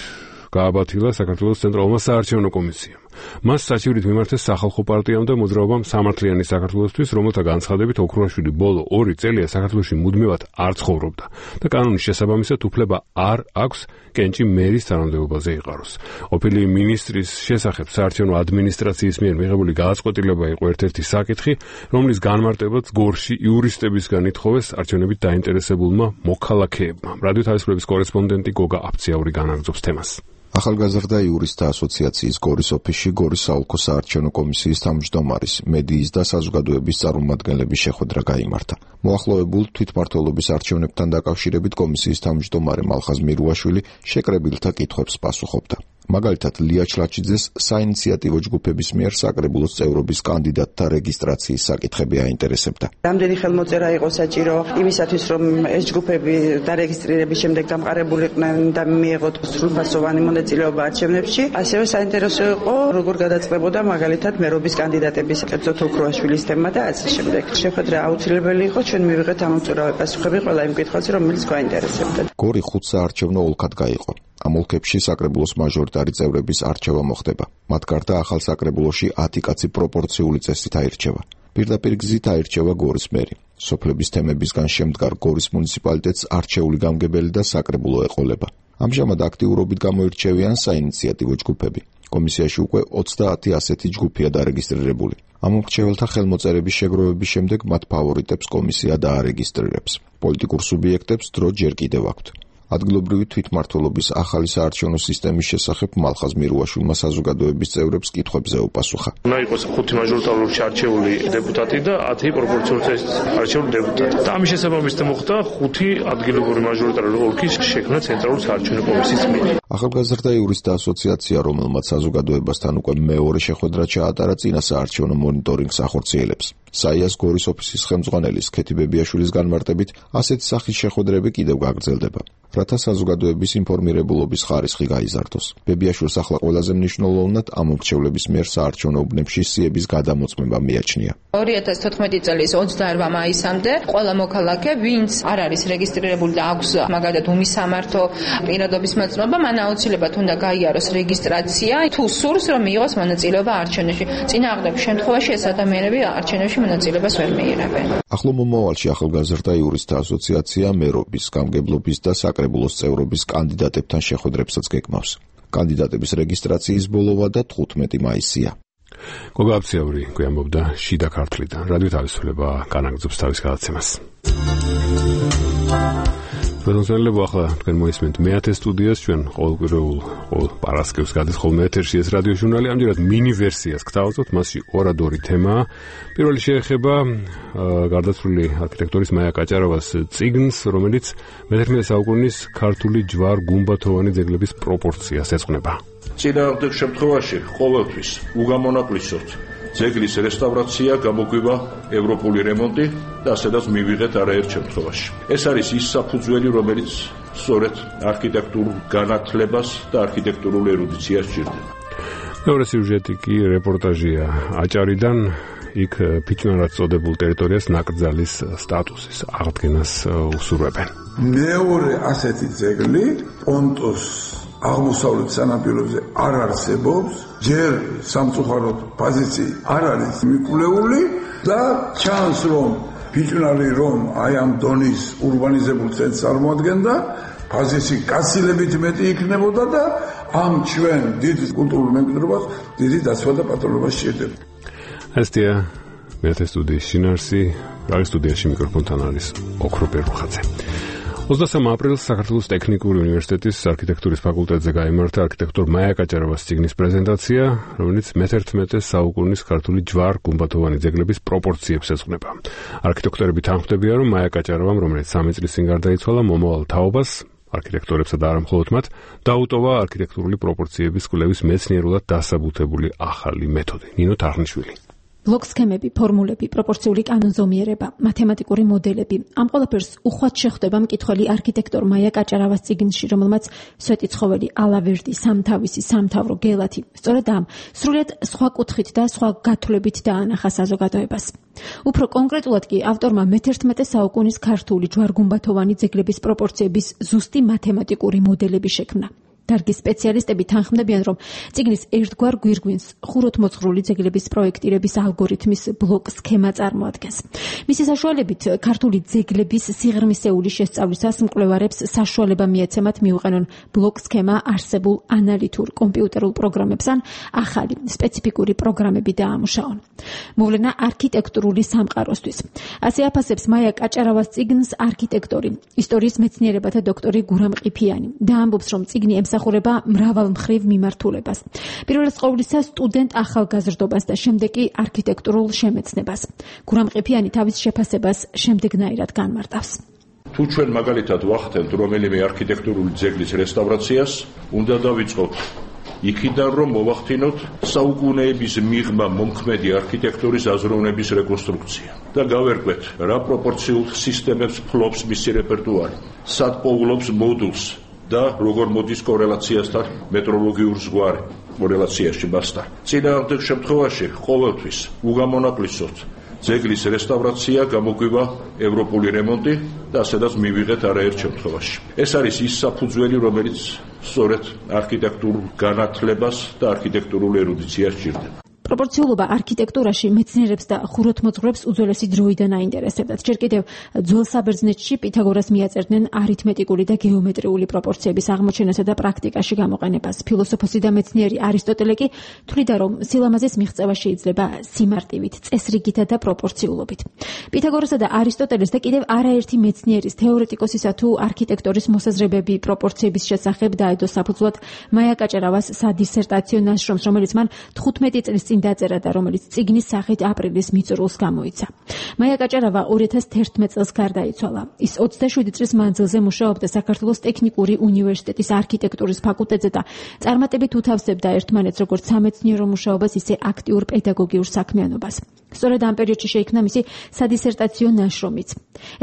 გააბათილა საქართველოს ცენტრალურმა საარჩევნო კომისიამ. მას საჩივრით მიმართეს სახალხო პარტიამ და მოძრაობამ სამართლიანი საქართველოსთვის, რომელთა განცხადებით ოქრუაშვილი ბოლო 2 წელია საქართველოში მუდმივად არ ცხოვრობდა და კანონის შესაბამისად უფლება არ აქვს კენჭი მერის თანამდებობაზე იყაროს. ყოფილი მინისტრის შესახებ საარჩევნო ადმინისტრაციის მიერ მიღებული გადაწყვეტილება იყო ერთ-ერთი საკითხი, რომლის განმარტებაც გორში იურისტებისგან ითხოვეს არჩევნებით დაინტერესებულმა მოქალაქეებმა. რადიო თავისუფლების კორესპონდენტი გოგა აფციაური განაგზობს თემას. ახალგაზრდა იურისტთა ასოციაციის გორის ოფისში გორის საოლქო საარჩევნო კომისიის თავმჯდომარის, მედიის და საზოგადოების წარმომადგენლების შეხვედრა გაიმართა. მოახლოებულ თვითმმართველობის არჩევნებთან დაკავშირებით კომისიის თავმჯდომარე მალხაზ მირუაშვილი შეკრებილთა კითხვებს პასუხობდა. მაგალითად, ლია ჩლაჩიძეს საინიციატივო ჯგუფების მიერ საკრებულოს წევრობის კანდიდატთა რეგისტრაციის საკითხები აინტერესებდა. რამდენი ხელმოწერა იყო საჭირო იმისათვის, რომ ეს ჯგუფები დარეგისტრირების შემდეგ დამყარებულიყვნენ და მიეღოთ სრულფასოვანი მონაწილეობა არჩევნებში. ასევე საინტერესო იყო, როგორ გადაწყდებოდა მაგალითად მერობის კანდიდატების, კერძოდ ოქრუაშვილის თემა და ასე შემდეგ. შეხვედრა აუცილებელი იყო, ჩვენ მივიღეთ ამომწურავი პასუხები ყველა იმ კითხვაზე, რომელიც გვაინტერესებდა. გორი 5 საარჩევნო ოლქად გაიყო. ამ ოლქებში საკრებულოს მაჟორიტარი წევრების არჩევა მოხდება. მათ გარდა ახალ საკრებულოში 10 კაცი პროპორციული წესით აირჩევა. პირდაპირ გზით აირჩევა გორის მერი. სოფლების თემებისგან შემდგარ გორის მუნიციპალიტეტს არჩეული გამგებელი და საკრებულო ეყოლება. ამჟამად აქტიურობით გამოირჩევიან საინიციატივო ჯგუფები. კომისიაში უკვე 30 ასეთი ჯგუფია დარეგისტრირებული. ამ მრჩეველთა ხელმოწერების შეგროვების შემდეგ მათ ფავორიტებს კომისია დაარეგისტრირებს. პოლიტიკურ სუბიექტებს დრო ჯერ კიდევ აქვთ. ადგილობრივი თვითმმართველობის ახალი საარჩევნო სისტემის შესახებ მალხაზ მირუაშვილმა საზოგადოების წევრებს კითხვებზე უპასუხა. უნდა იყოს 5 მაჟორიტარულად არჩეული დეპუტატი და 10 პროპორციულად არჩეული დეპუტატი. და ამის შესაბამისად მოხდა 5 ადგილობრივი მაჟორიტარული ოლქის შექმნა ცენტრალური საარჩევნო კომისიის მიერ. ახალგაზრდა იურისტთა ასოციაცია, რომელმაც საზოგადოებასთან უკვე მეორე შეხვედრა ჩაატარა, წინა საარჩევნო მონიტორინგს ახორციელებს. საიას გორის ოფისის ხელმძღვანელის ქეთი ბებიაშვილის განმარტებით, ასეთი სახის შეხვედრები კიდევ გაგრძელდება, რათა საზოგადოების ინფორმირებულობის ხარისხი გაიზარდოს. ბებიაშვილს ახლა ყველაზე მნიშვნელოვნად ამ მრჩევლების მიერ საარჩევნო უბნებში სიების გადამოწმება მიაჩნია. 2014 წლის 28 მაისამდე ყველა მოქალაქე, ვინც არ არის რეგისტრირებული და აქვს მაგალითად უმისამართო პირადობის მოწმობა, მან აუცილებლად უნდა გაიაროს რეგისტრაცია, თუ სურს რომ მიიღოს მონაწილეობა არჩევნებში. წინააღმდეგ შემთხვევაში ეს ადამიანები არჩევნებში მონაწილეობას ვერ მიიღებენ. ახლო მომავალში ახალგაზრდა იურისტთა ასოციაცია მერობის, გამგებლობის და საკრებულოს წევრობის კანდიდატებთან შეხვედრებსაც გეგმავს. კანდიდატების რეგისტრაციის ბოლოვა და 15 მაისია. გოგა აფციაური გვიამბობდა შიდა ქართლიდან. რადიო თავისუფლება განაგზობს თავის გადაცემას. პროდუცერებო ახლა თქვენ მოისმენთ მე-10 სტუდიას, ჩვენ ყოველკვირეულ პარასკევს გადის ხოლმე ეთერში ეს რადიო ჟურნალი, ამჯერად მინი ვერსიას გთავაზობთ, მასში ორადორი თემაა. პირველი შეეხება გარდაცვლილი არქიტექტორის მაია კაჭარავას წიგნს, რომელიც მე-11 საუკუნის ქართული ჯვარ-გუმბათოვანი ძეგლების პროპორციას ეძღვნება. წინააღმდეგ შემთხვევაში ყოველთვის უგამონაკლისოთ ძეგლის რესტავრაცია, გამოგვივა ევროპული რემონტი და ასედაც მივიღეთ არაერთ შემთხვევაში. ეს არის ის საფუძველი, რომელიც სწორედ არქიტექტურულ განათლებას და არქიტექტურულ ერუდიციას სჭირდება. მეორე სიუჟეტი კი რეპორტაჟია აჭარიდან, იქ ფიჭვნარად წოდებულ ტერიტორიას ნაკრძალის სტატუსის აღდგენას უსურვებენ. მეორე ასეთი ძეგლი პონტოს აღმოსავლეთ სანაპიროზე არ არსებობს, ჯერ სამწუხაროდ პოზიცია არ არის მიკვლეული და ჩანს რომ ფიჭვნარი რომ აი ამ დონის ურბანიზებულ ცენტრს წარმოადგენდა, პოზიცია გაცილებით მეტი იქნებოდა და ამ ჩვენ დიდ კულტურულ მემკვიდრეობას დიდი დაცვა და პატრონობა სჭირდება. ასეთია მე-10 სტუდიის შინაარსი, რაგის სტუდიაში მიკროფონთან არის ოქრო პერუხაძე. 23 აპრილს საქართველოს ტექნიკური უნივერსიტეტის არქიტექტურის ფაკულტეტზე გაიმართა არქიტექტორ მაია კაჭარავას წიგნის პრეზენტაცია, რომელიც მე-11 საუკუნის ქართული ჯვარ-გუმბათოვანი ძეგლების პროპორციებს ეძღვნება. არქიტექტორები თანხმდებიან, რომ მაია კაჭარავამ, რომელიც 3 წლის წინ გარდაიცვალა, მომავალ თაობას, არქიტექტორებსა და არა მხოლოდ მათ, დაუტოვა არქიტექტურული პროპორციების კვლევის მეცნიერულად დასაბუთებული ახალი მეთოდი. ნინო თარხნიშვილი. ბლოკ სქემები, ფორმულები, პროპორციული კანონზომიერება, მათემატიკური მოდელები. ამ ყველაფერს უხვად შეხვდება მკითხველი არქიტექტორ მაია კაჭარავას წიგნში, რომელმაც სვეტიცხოველი, ალავერდი, სამთავისი, სამთავრო, გელათი, სწორედ ამ სრულიად სხვა კუთხით და სხვა გათვლებით დაანახა საზოგადოებას. უფრო კონკრეტულად კი ავტორმა მე-11 საუკუნის ქართული ჯვარგუმბათოვანი ძეგლების პროპორციების ზუსტი მათემატიკური მოდელები შექმნა. დარგის სპეციალისტები თანხმდებიან, რომ წიგნის ერთგვარ გვირგვინს ხუროთმოძღვრული ძეგლების პროექტირების ალგორითმის ბლოკ სქემა წარმოადგენს. მისი საშუალებით ქართული ძეგლების სიღრმისეული შესწავლისას მკვლევარებს საშუალება მიეცემათ მიუყენონ ბლოკ სქემა არსებულ ანალიტურ კომპიუტერულ პროგრამებს ან ახალი სპეციფიკური პროგრამები დაამუშაონ. მოვლენა არქიტექტურული სამყაროსთვის. ასე აფასებს მაია კაჭარავას წიგნს არქიტექტორი, ისტორიის მეცნიერებათა დოქტორი გურამ ყიფიანი და ამბობს, რომ წიგნი ემსახურება მრავალმხრივ მიმართულებას. პირველად ყოვლისა სტუდენტ ახალგაზრდობას და შემდეგ კი არქიტექტურულ შემეცნებას. გურამ ყიფიანი თავის შეფასებას შემდეგნაირად განმარტავს. თუ ჩვენ მაგალითად ვახდენთ რომელიმე არქიტექტურული ძეგლის რესტავრაციას, უნდა დავიწყოთ იქიდან, რომ მოვახდინოთ საუკუნეების მიღმა მომქმედი არქიტექტურის აზროვნების რეკონსტრუქცია და გავერკვეთ რა პროპორციულ სისტემებს ფლობს მისი რეპერტუარი, სად პოულობს მოდულს და როგორ მოდის კორელაციასთან მეტროლოგიურ ზღვარი კორელაციაში მასთან. წინააღმდეგ შემთხვევაში ყოველთვის უგამონაკლისოთ ძეგლის რესტავრაცია, გამოგვივა ევროპული რემონტი და ასედაც მივიღეთ არაერთ შემთხვევაში. ეს არის ის საფუძველი, რომელიც სწორედ არქიტექტურულ განათლებას და არქიტექტურულ ერუდიციას სჭირდება. პროპორციულობა არქიტექტურაში მეცნიერებს და ხუროთმოძღვრებს უძველესი დროიდან აინტერესებდათ. ჯერ კიდევ ძველ საბერძნეთში პითაგორას მიაწერდნენ არითმეტიკული და გეომეტრიული პროპორციების აღმოჩენასა და პრაქტიკაში გამოყენებას. ფილოსოფოსი და მეცნიერი არისტოტელე კი თვლიდა, რომ სილამაზის მიღწევა შეიძლება სიმარტივით, წესრიგითა და პროპორციულობით. პითაგორასა და არისტოტელეს და კიდევ არაერთი მეცნიერის, თეორეტიკოსისა თუ არქიტექტორის მოსაზრებები პროპორციების შესახებ დაედო საფუძვლად მაია კაჭარავას სადისერტაციო ნაშრომს, რომელიც მან 15 წლის წინ დაწერა და რომელიც წიგნის სახით აპრილის მიწურულს გამოიცა. მაია კაჭარავა 2011 წელს გარდაიცვალა. ის 27 წლის მანძილზე მუშაობდა საქართველოს ტექნიკური უნივერსიტეტის არქიტექტურის ფაკულტეტზე და წარმატებით უთავსებდა ერთმანეთს როგორც სამეცნიერო მუშაობას, ისე აქტიურ პედაგოგიურ საქმიანობას. სწორედ ამ პერიოდში შეიქმნა მისი სადისერტაციო ნაშრომიც.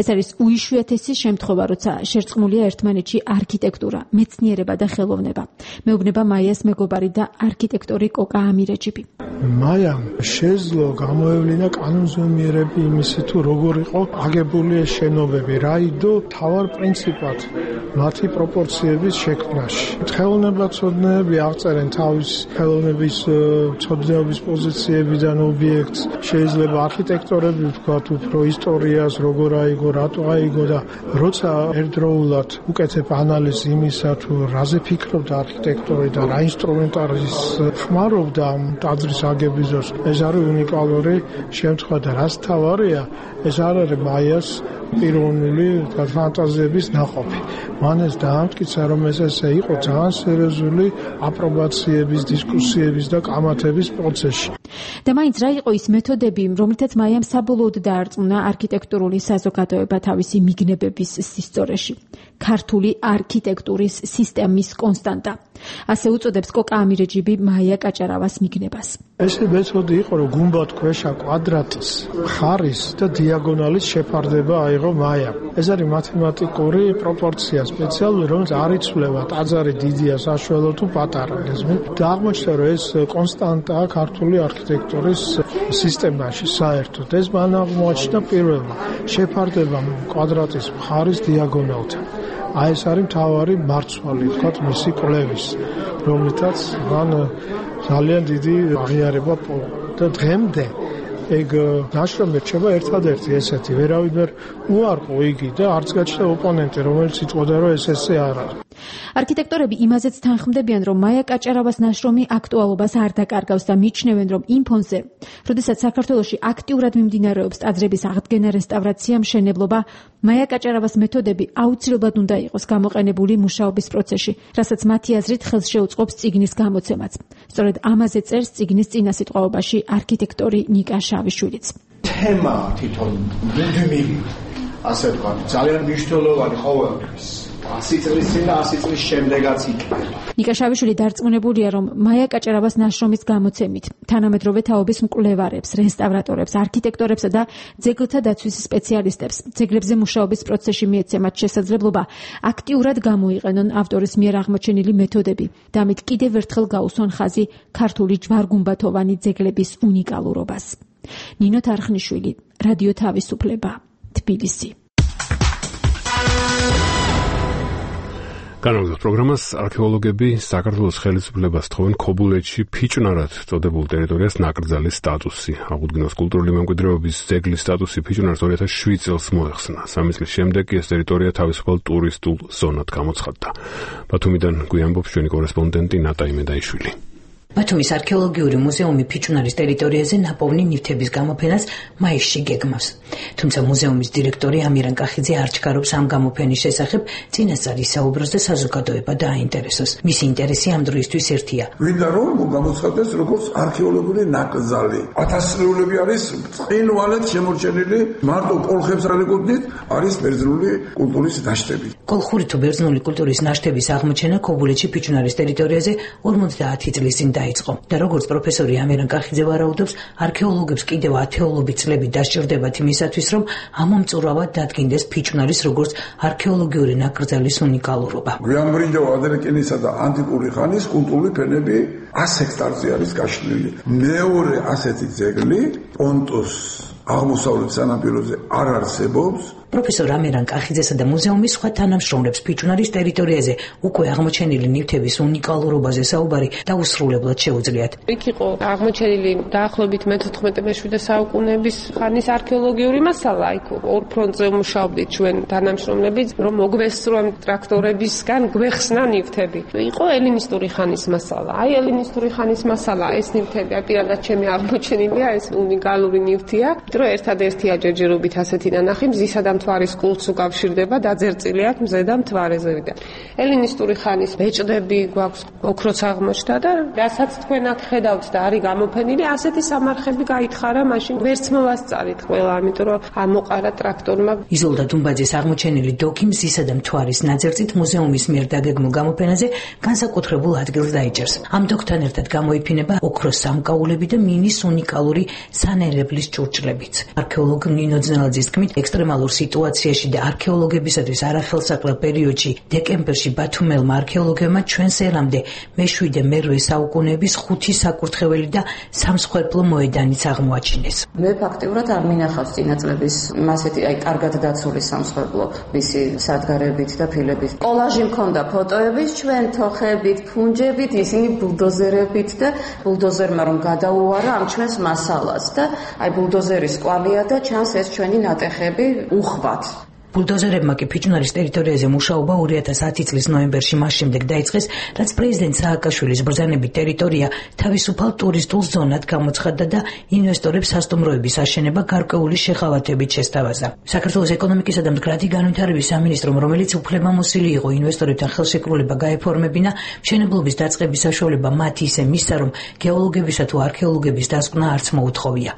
ეს არის უიშვიათესი შემთხვევა, როცა შერწყმულია ერთმანეთში არქიტექტურა, მეცნიერება და ხელოვნება. მეუბნება მაიას მეგობარი და არქიტექტორი კოკა ამირეჯიბი. მაიამ შეძლო გამოევლინა კანონზომიერები იმისი თუ როგორ იყო აგებული ეს შენობები, რა იდო თავარ პრინციპად მათი პროპორციების შექმნაში. ხელოვნებაცოდნეები აღწერენ თავის ხელოვნების ცოდნეობის პოზიციებიდან ობიექტს, შეიძლება არქიტექტორები ვთქვათ უფრო ისტორიას, როგორ აიგო, რატო აიგო და როცა ერთდროულად უკეთებ ანალიზს იმისა თუ რაზე ფიქრობდა არქიტექტორი და რა ინსტრუმენტარის ხმარობდა ტაძრის აგების დროს, ეს არის უნიკალური შემთხვევა და რაც თავარია, ეს არ არის მაიას პიროვნული ფანტაზიების ნაყოფი. მან ეს დაამტკიცა, რომ ეს ესე იყო ძალიან სერიოზული აპრობაციების, დისკუსიების და კამათების პროცესში. და მაინც რა იყო ის მეთოდები, რომლითაც მაიამ საბოლოოდ დაარწმუნა არქიტექტურული საზოგადოება თავისი მიგნებების სისწორეში. ქართული არქიტექტურის სისტემის კონსტანტა. ასე უწოდებს კოკა ამირეჯიბი მაია კაჭარავას მიგნებას. ეს მეთოდი იყო, რომ გუმბათქვეშა კვადრატის, მხარის და დიაგონალის შეფარდება აიღო მაიამ. ეს არის მათემატიკური პროპორცია სპეციალური, რომელიც არ იცვლება ტაძარი დიდია, საშუალო თუ პატარა. და აღმოჩნდა, რომ ეს კონსტანტაა ქართული არქიტექტურის სისტემაში საერთოდ. ეს მან აღმოაჩინა პირველმა შეფარდება კვადრატის მხარის დიაგონალთან. აი ეს არის მთავარი მარცვალი, თქვათ, მისი კვლევის, რომლითაც მან ძალიან დიდი აღიარება პოვა. და დღემდე ეგ ნაშრომი რჩება ერთადერთი ესეთი, ვერავინ ვერ უარყო იგი და არც გაჩნდა ოპონენტი, რომელიც იტყოდა, რომ ეს ესე არ არის. არქიტექტორები იმაზეც თანხმდებიან, რომ მაია კაჭარავას ნაშრომი აქტუალობას არ დაკარგავს და მიჩნევენ, რომ იმ ფონზე, როდესაც საქართველოში აქტიურად მიმდინარეობს ტაძრების აღდგენა, რესტავრაცია, მშენებლობა, მაია კაჭარავას მეთოდები აუცილებლად უნდა იყოს გამოყენებული მუშაობის პროცესში, რასაც მათი აზრით ხელს შეუწყობს წიგნის გამოცემაც. სწორედ ამაზე წერს წიგნის წინასიტყვაობაში არქიტექტორი ნიკა შავიშვილიც. თემა თვითონ მუდმივი, ასე ვთქვათ, ძალიან მნიშვნელოვანი ყოველთვის. 100 წლის წინ და 100 წლის შემდეგაც იქნება. ნიკა შავიშვილი დარწმუნებულია, რომ მაია კაჭარავას ნაშრომის გამოცემით თანამედროვე თაობის მკვლევარებს, რესტავრატორებს, არქიტექტორებსა და ძეგლთა დაცვის სპეციალისტებს ძეგლებზე მუშაობის პროცესში მიეცემათ შესაძლებლობა აქტიურად გამოიყენონ ავტორის მიერ აღმოჩენილი მეთოდები და ამით კიდევ ერთხელ გაუსვან ხაზი ქართული ჯვარგუმბათოვანი ძეგლების უნიკალურობას. ნინო თარხნიშვილი, რადიო თავისუფლება, თბილისი. განაგრძობთ პროგრამას. არქეოლოგები საქართველოს ხელისუფლებას თხოვენ ქობულეთში ფიჭვნარად წოდებულ ტერიტორიას ნაკრძალის სტატუსი. აღუდგინოს კულტურული მემკვიდრეობის ძეგლის სტატუსი ფიჭვნარს 2007 წელს მოეხსნა. 3 წლის შემდეგ ეს ტერიტორია თავისუფალ ტურისტულ ზონად გამოცხადდა. ბათუმიდან გვიამბობს ჩვენი კორესპონდენტი ნატა იმედაიშვილი. ბათუმის არქეოლოგიური მუზეუმი ფიჭვნარის ტერიტორიაზე ნაპოვნი ნივთების გამოფენას მაისში გეგმავს. თუმცა მუზეუმის დირექტორი ამირან კახიძე არ ჩქარობს ამ გამოფენის შესახებ, წინასწარ ისაუბროს და საზოგადოება დააინტერესოს. მისი ინტერესი ამ დროისთვის ერთია. ვინდა რომ გამოცხადდეს როგორც არქეოლოგიური ნაკრძალი. ათასწლეულები არის წინვალეთ შემორჩენილი, მარტო კოლხებს არ ეკუთვნით, არის ბერძნული კულტურის ნაშთები. კოლხური თუ ბერძნული კულტურის ნაშთების აღმოჩენა ქობულეთში ფიჭვნარის ტერიტორიაზე 50 წლის წინ დაიწყო და როგორც პროფესორი ამირან კახიძე ვარაუდობს, არქეოლოგებს კიდევ ათეულობით წლები დასჭირდებათ იმისათვის, რომ ამომწურავად დადგინდეს ფიჭვნარის როგორც არქეოლოგიური ნაკრძალის უნიკალურობა. გვიანბრინჯაო ადრეკინისა და ანტიკური ხანის კულტურული ფენები 100 ჰექტარზე არის გაშლილი. მეორე ასეთი ძეგლი პონტოს აღმოსავლეთ სანაპიროზე არ არსებობს. პროფესორ ამირან კახიძესა და მუზეუმის სხვა თანამშრომლებს ფიჭვნარის ტერიტორიაზე უკვე აღმოჩენილი ნივთების უნიკალურობაზე საუბარი დაუსრულებლად შეუძლიათ. იქ იყო აღმოჩენილი დაახლოებით მე-14-მე-17 საუკუნეების ხანის არქეოლოგიური მასალა. იქ ორ ფრონტზე მუშაობდით ჩვენ თანამშრომლები, რომ მოგვესწრო ტრაქტორებისგან გვეხსნა ნივთები. იყო ელინისტური ხანის მასალა. აი ელინისტური ხანის მასალა, ეს ნივთები, პირადად ჩემი აღმოჩენილია, ეს უნიკალური ნივთია, რომ ერთადერთი აჯერჯერობით ასეთი ნანახი მზისა და მთვარის კულტს უკავშირდება, დაძერწილი აქვს მზე და მთვარეზე. ელინისტური ხანის ბეჭდები გვაქვს, ოქროც აღმოჩნდა და რასაც თქვენ აქ ხედავთ და არის გამოფენილი, ასეთი სამარხები გაითხარა, მაშინ ვერც მოვასწარით ყველა, ამიტომ რომ ამოყარა ტრაქტორმა. იზოლდა დუმბაძის აღმოჩენილი დოქი მზისა და მთვარის ნაძერწით მუზეუმის მიერ დაგეგმულ გამოფენაზე განსაკუთრებულ ადგილს დაიჭერს. ამ დოქთან ერთად გამოიფინება ოქროს სამკაულები და მინის უნიკალური სანერებლის ჭურჭლებიც. არქეოლოგ ნინო ძნელაძის თქმით, ექსტრემალურ სიტუაციაში და არქეოლოგებისათვის არახელსაყრელ პერიოდში დეკემბერში ბათუმელმა არქეოლოგებმა ჩვენს ერამდე მე-7-მე-8 საუკუნეების 5 საკურთხეველი და სამსხვერპლო მოედანიც აღმოაჩინეს. მე ფაქტიურად არ მინახავს წინაწლების მასეთი აი კარგად დაცული სამსხვერპლო მისი სადგარებით და ფილებით. კოლაჟი მქონდა ფოტოების ჩვენ თოხებით, ფუნჯებით, ისინი ბულდოზერებით და ბულდოზერმა რომ გადაუარა ამ ჩვენს მასალას და აი ბულდოზერის კვალია და ჩანს ეს ჩვენი ნატეხები უხვად. ბულდოზერებმა კი ფიჭვნარის ტერიტორიაზე მუშაობა 2010 წლის ნოემბერში მას შემდეგ დაიწყეს, რაც პრეზიდენტ სააკაშვილის ბრძანებით ტერიტორია თავისუფალ ტურისტულ ზონად გამოცხადდა და ინვესტორებს სასტუმროების აშენება გარკვეული შეხავათებით შესთავაზა. საქართველოს ეკონომიკისა და მდგრადი განვითარების სამინისტრომ, რომელიც უფლებამოსილი იყო ინვესტორებთან ხელშეკრულება გაეფორმებინა, მშენებლობის დაწყების საშუალება მათ ისე მისცა, რომ გეოლოგებისა თუ არქეოლოგების დასკვნა არც მოუთხოვია.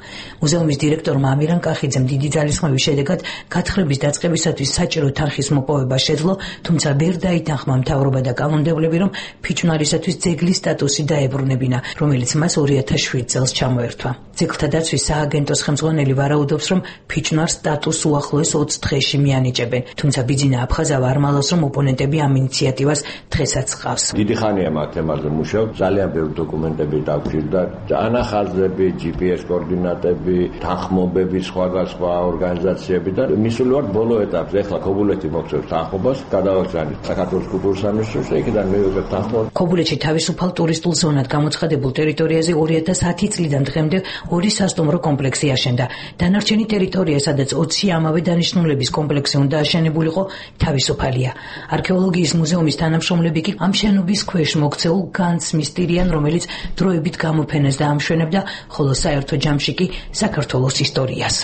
მუზეუმის დირექტორმა ამირან კახიძემ დიდი ძალისხმევის შედეგად გათხრების დაწყების საჭირო თანხის მოპოვება შეძლო, თუმცა ვერ დაითანხმა მთავრობა და კანონმდებლები, რომ ფიჭვნარისათვის ძეგლის სტატუსი დაებრუნებინა, რომელიც მას 2007 წელს ჩამოერთვა. ძეგლთა დაცვის სააგენტოს ხელმძღვანელი ვარაუდობს, რომ ფიჭვნარს სტატუსს უახლოეს 20 დღეში მიანიჭებენ, თუმცა ბიძინა აფხაზავა არ მალავს, რომ ოპონენტები ამ ინიციატივას დღესაც ჰყავს. დიდი ხანია მათ თემაზე მუშაობ, ძალიან ბევრი დოკუმენტები დაგვჭირდა, ანახაზები, GPS კოორდინატები, თანხმობები, სხვადასხვა ორგანიზაციები და მისული ვარ ბოლო ეტაპზე, ახლა ქობულეთი მოქცევს თანხმობას, გადავაგზავნით საქართველოს კულტურის სამინისტროს და იქიდან მივიღებთ თანხმობას. ქობულეთში თავისუფალ ტურისტულ ზონად გამოცხადებულ ტერიტორიაზე 2010 წლიდან დღემდე 2 სასტუმრო კომპლექსი აშენდა. დანარჩენი ტერიტორია, სადაც 20 ამავე დანიშნულების კომპლექსი უნდა აშენებულიყო, თავისუფალია. არქეოლოგიის მუზეუმის თანამშრომლები კი ამ შენობის ქვეშ მოქცეულ განძს მისდირიან, რომელიც დროებით გამოფენას დაამშვენებდა, ხოლო საერთო ჯამში კი საქართველოს ისტორიას.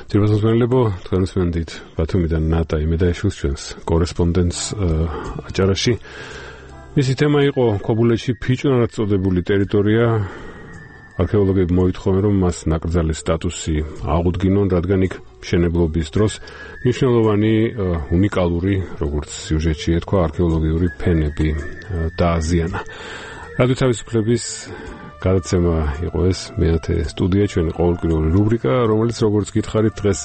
ძირფასმენელებო, თქვენს მენდით ბათუმიდან ნატა იმედაიშვილს ჩვენს კორესპონდენტს აჭარაში. მისი თემა იყო ქობულეთში ფიჭვნარად წოდებული ტერიტორია არქეოლოგები მოითხოვენ, რომ მას ნაკრძალის სტატუსი აღუდგინონ, რადგან იქ მშენებლობის დროს მნიშვნელოვანი უნიკალური, როგორც სიუჟეტში ეთქვა, არქეოლოგიური ფენები დააზიანა. რადიო თავისუფლების გადაცემა იყო ეს მეათე სტუდია, ჩვენი ყოველკვირეული რუბრიკა, რომელიც როგორც გითხარით დღეს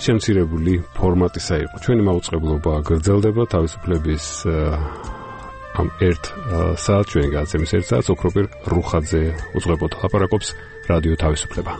შემცირებული ფორმატისა იყო. ჩვენი მაუწყებლობა გრძელდება თავისუფლების ამ ერთ საათს, ჩვენი გადაცემის ერთ საათს ოქროპირ რუხაძე უძღვებოდ ლაპარაკობს რადიო თავისუფლება.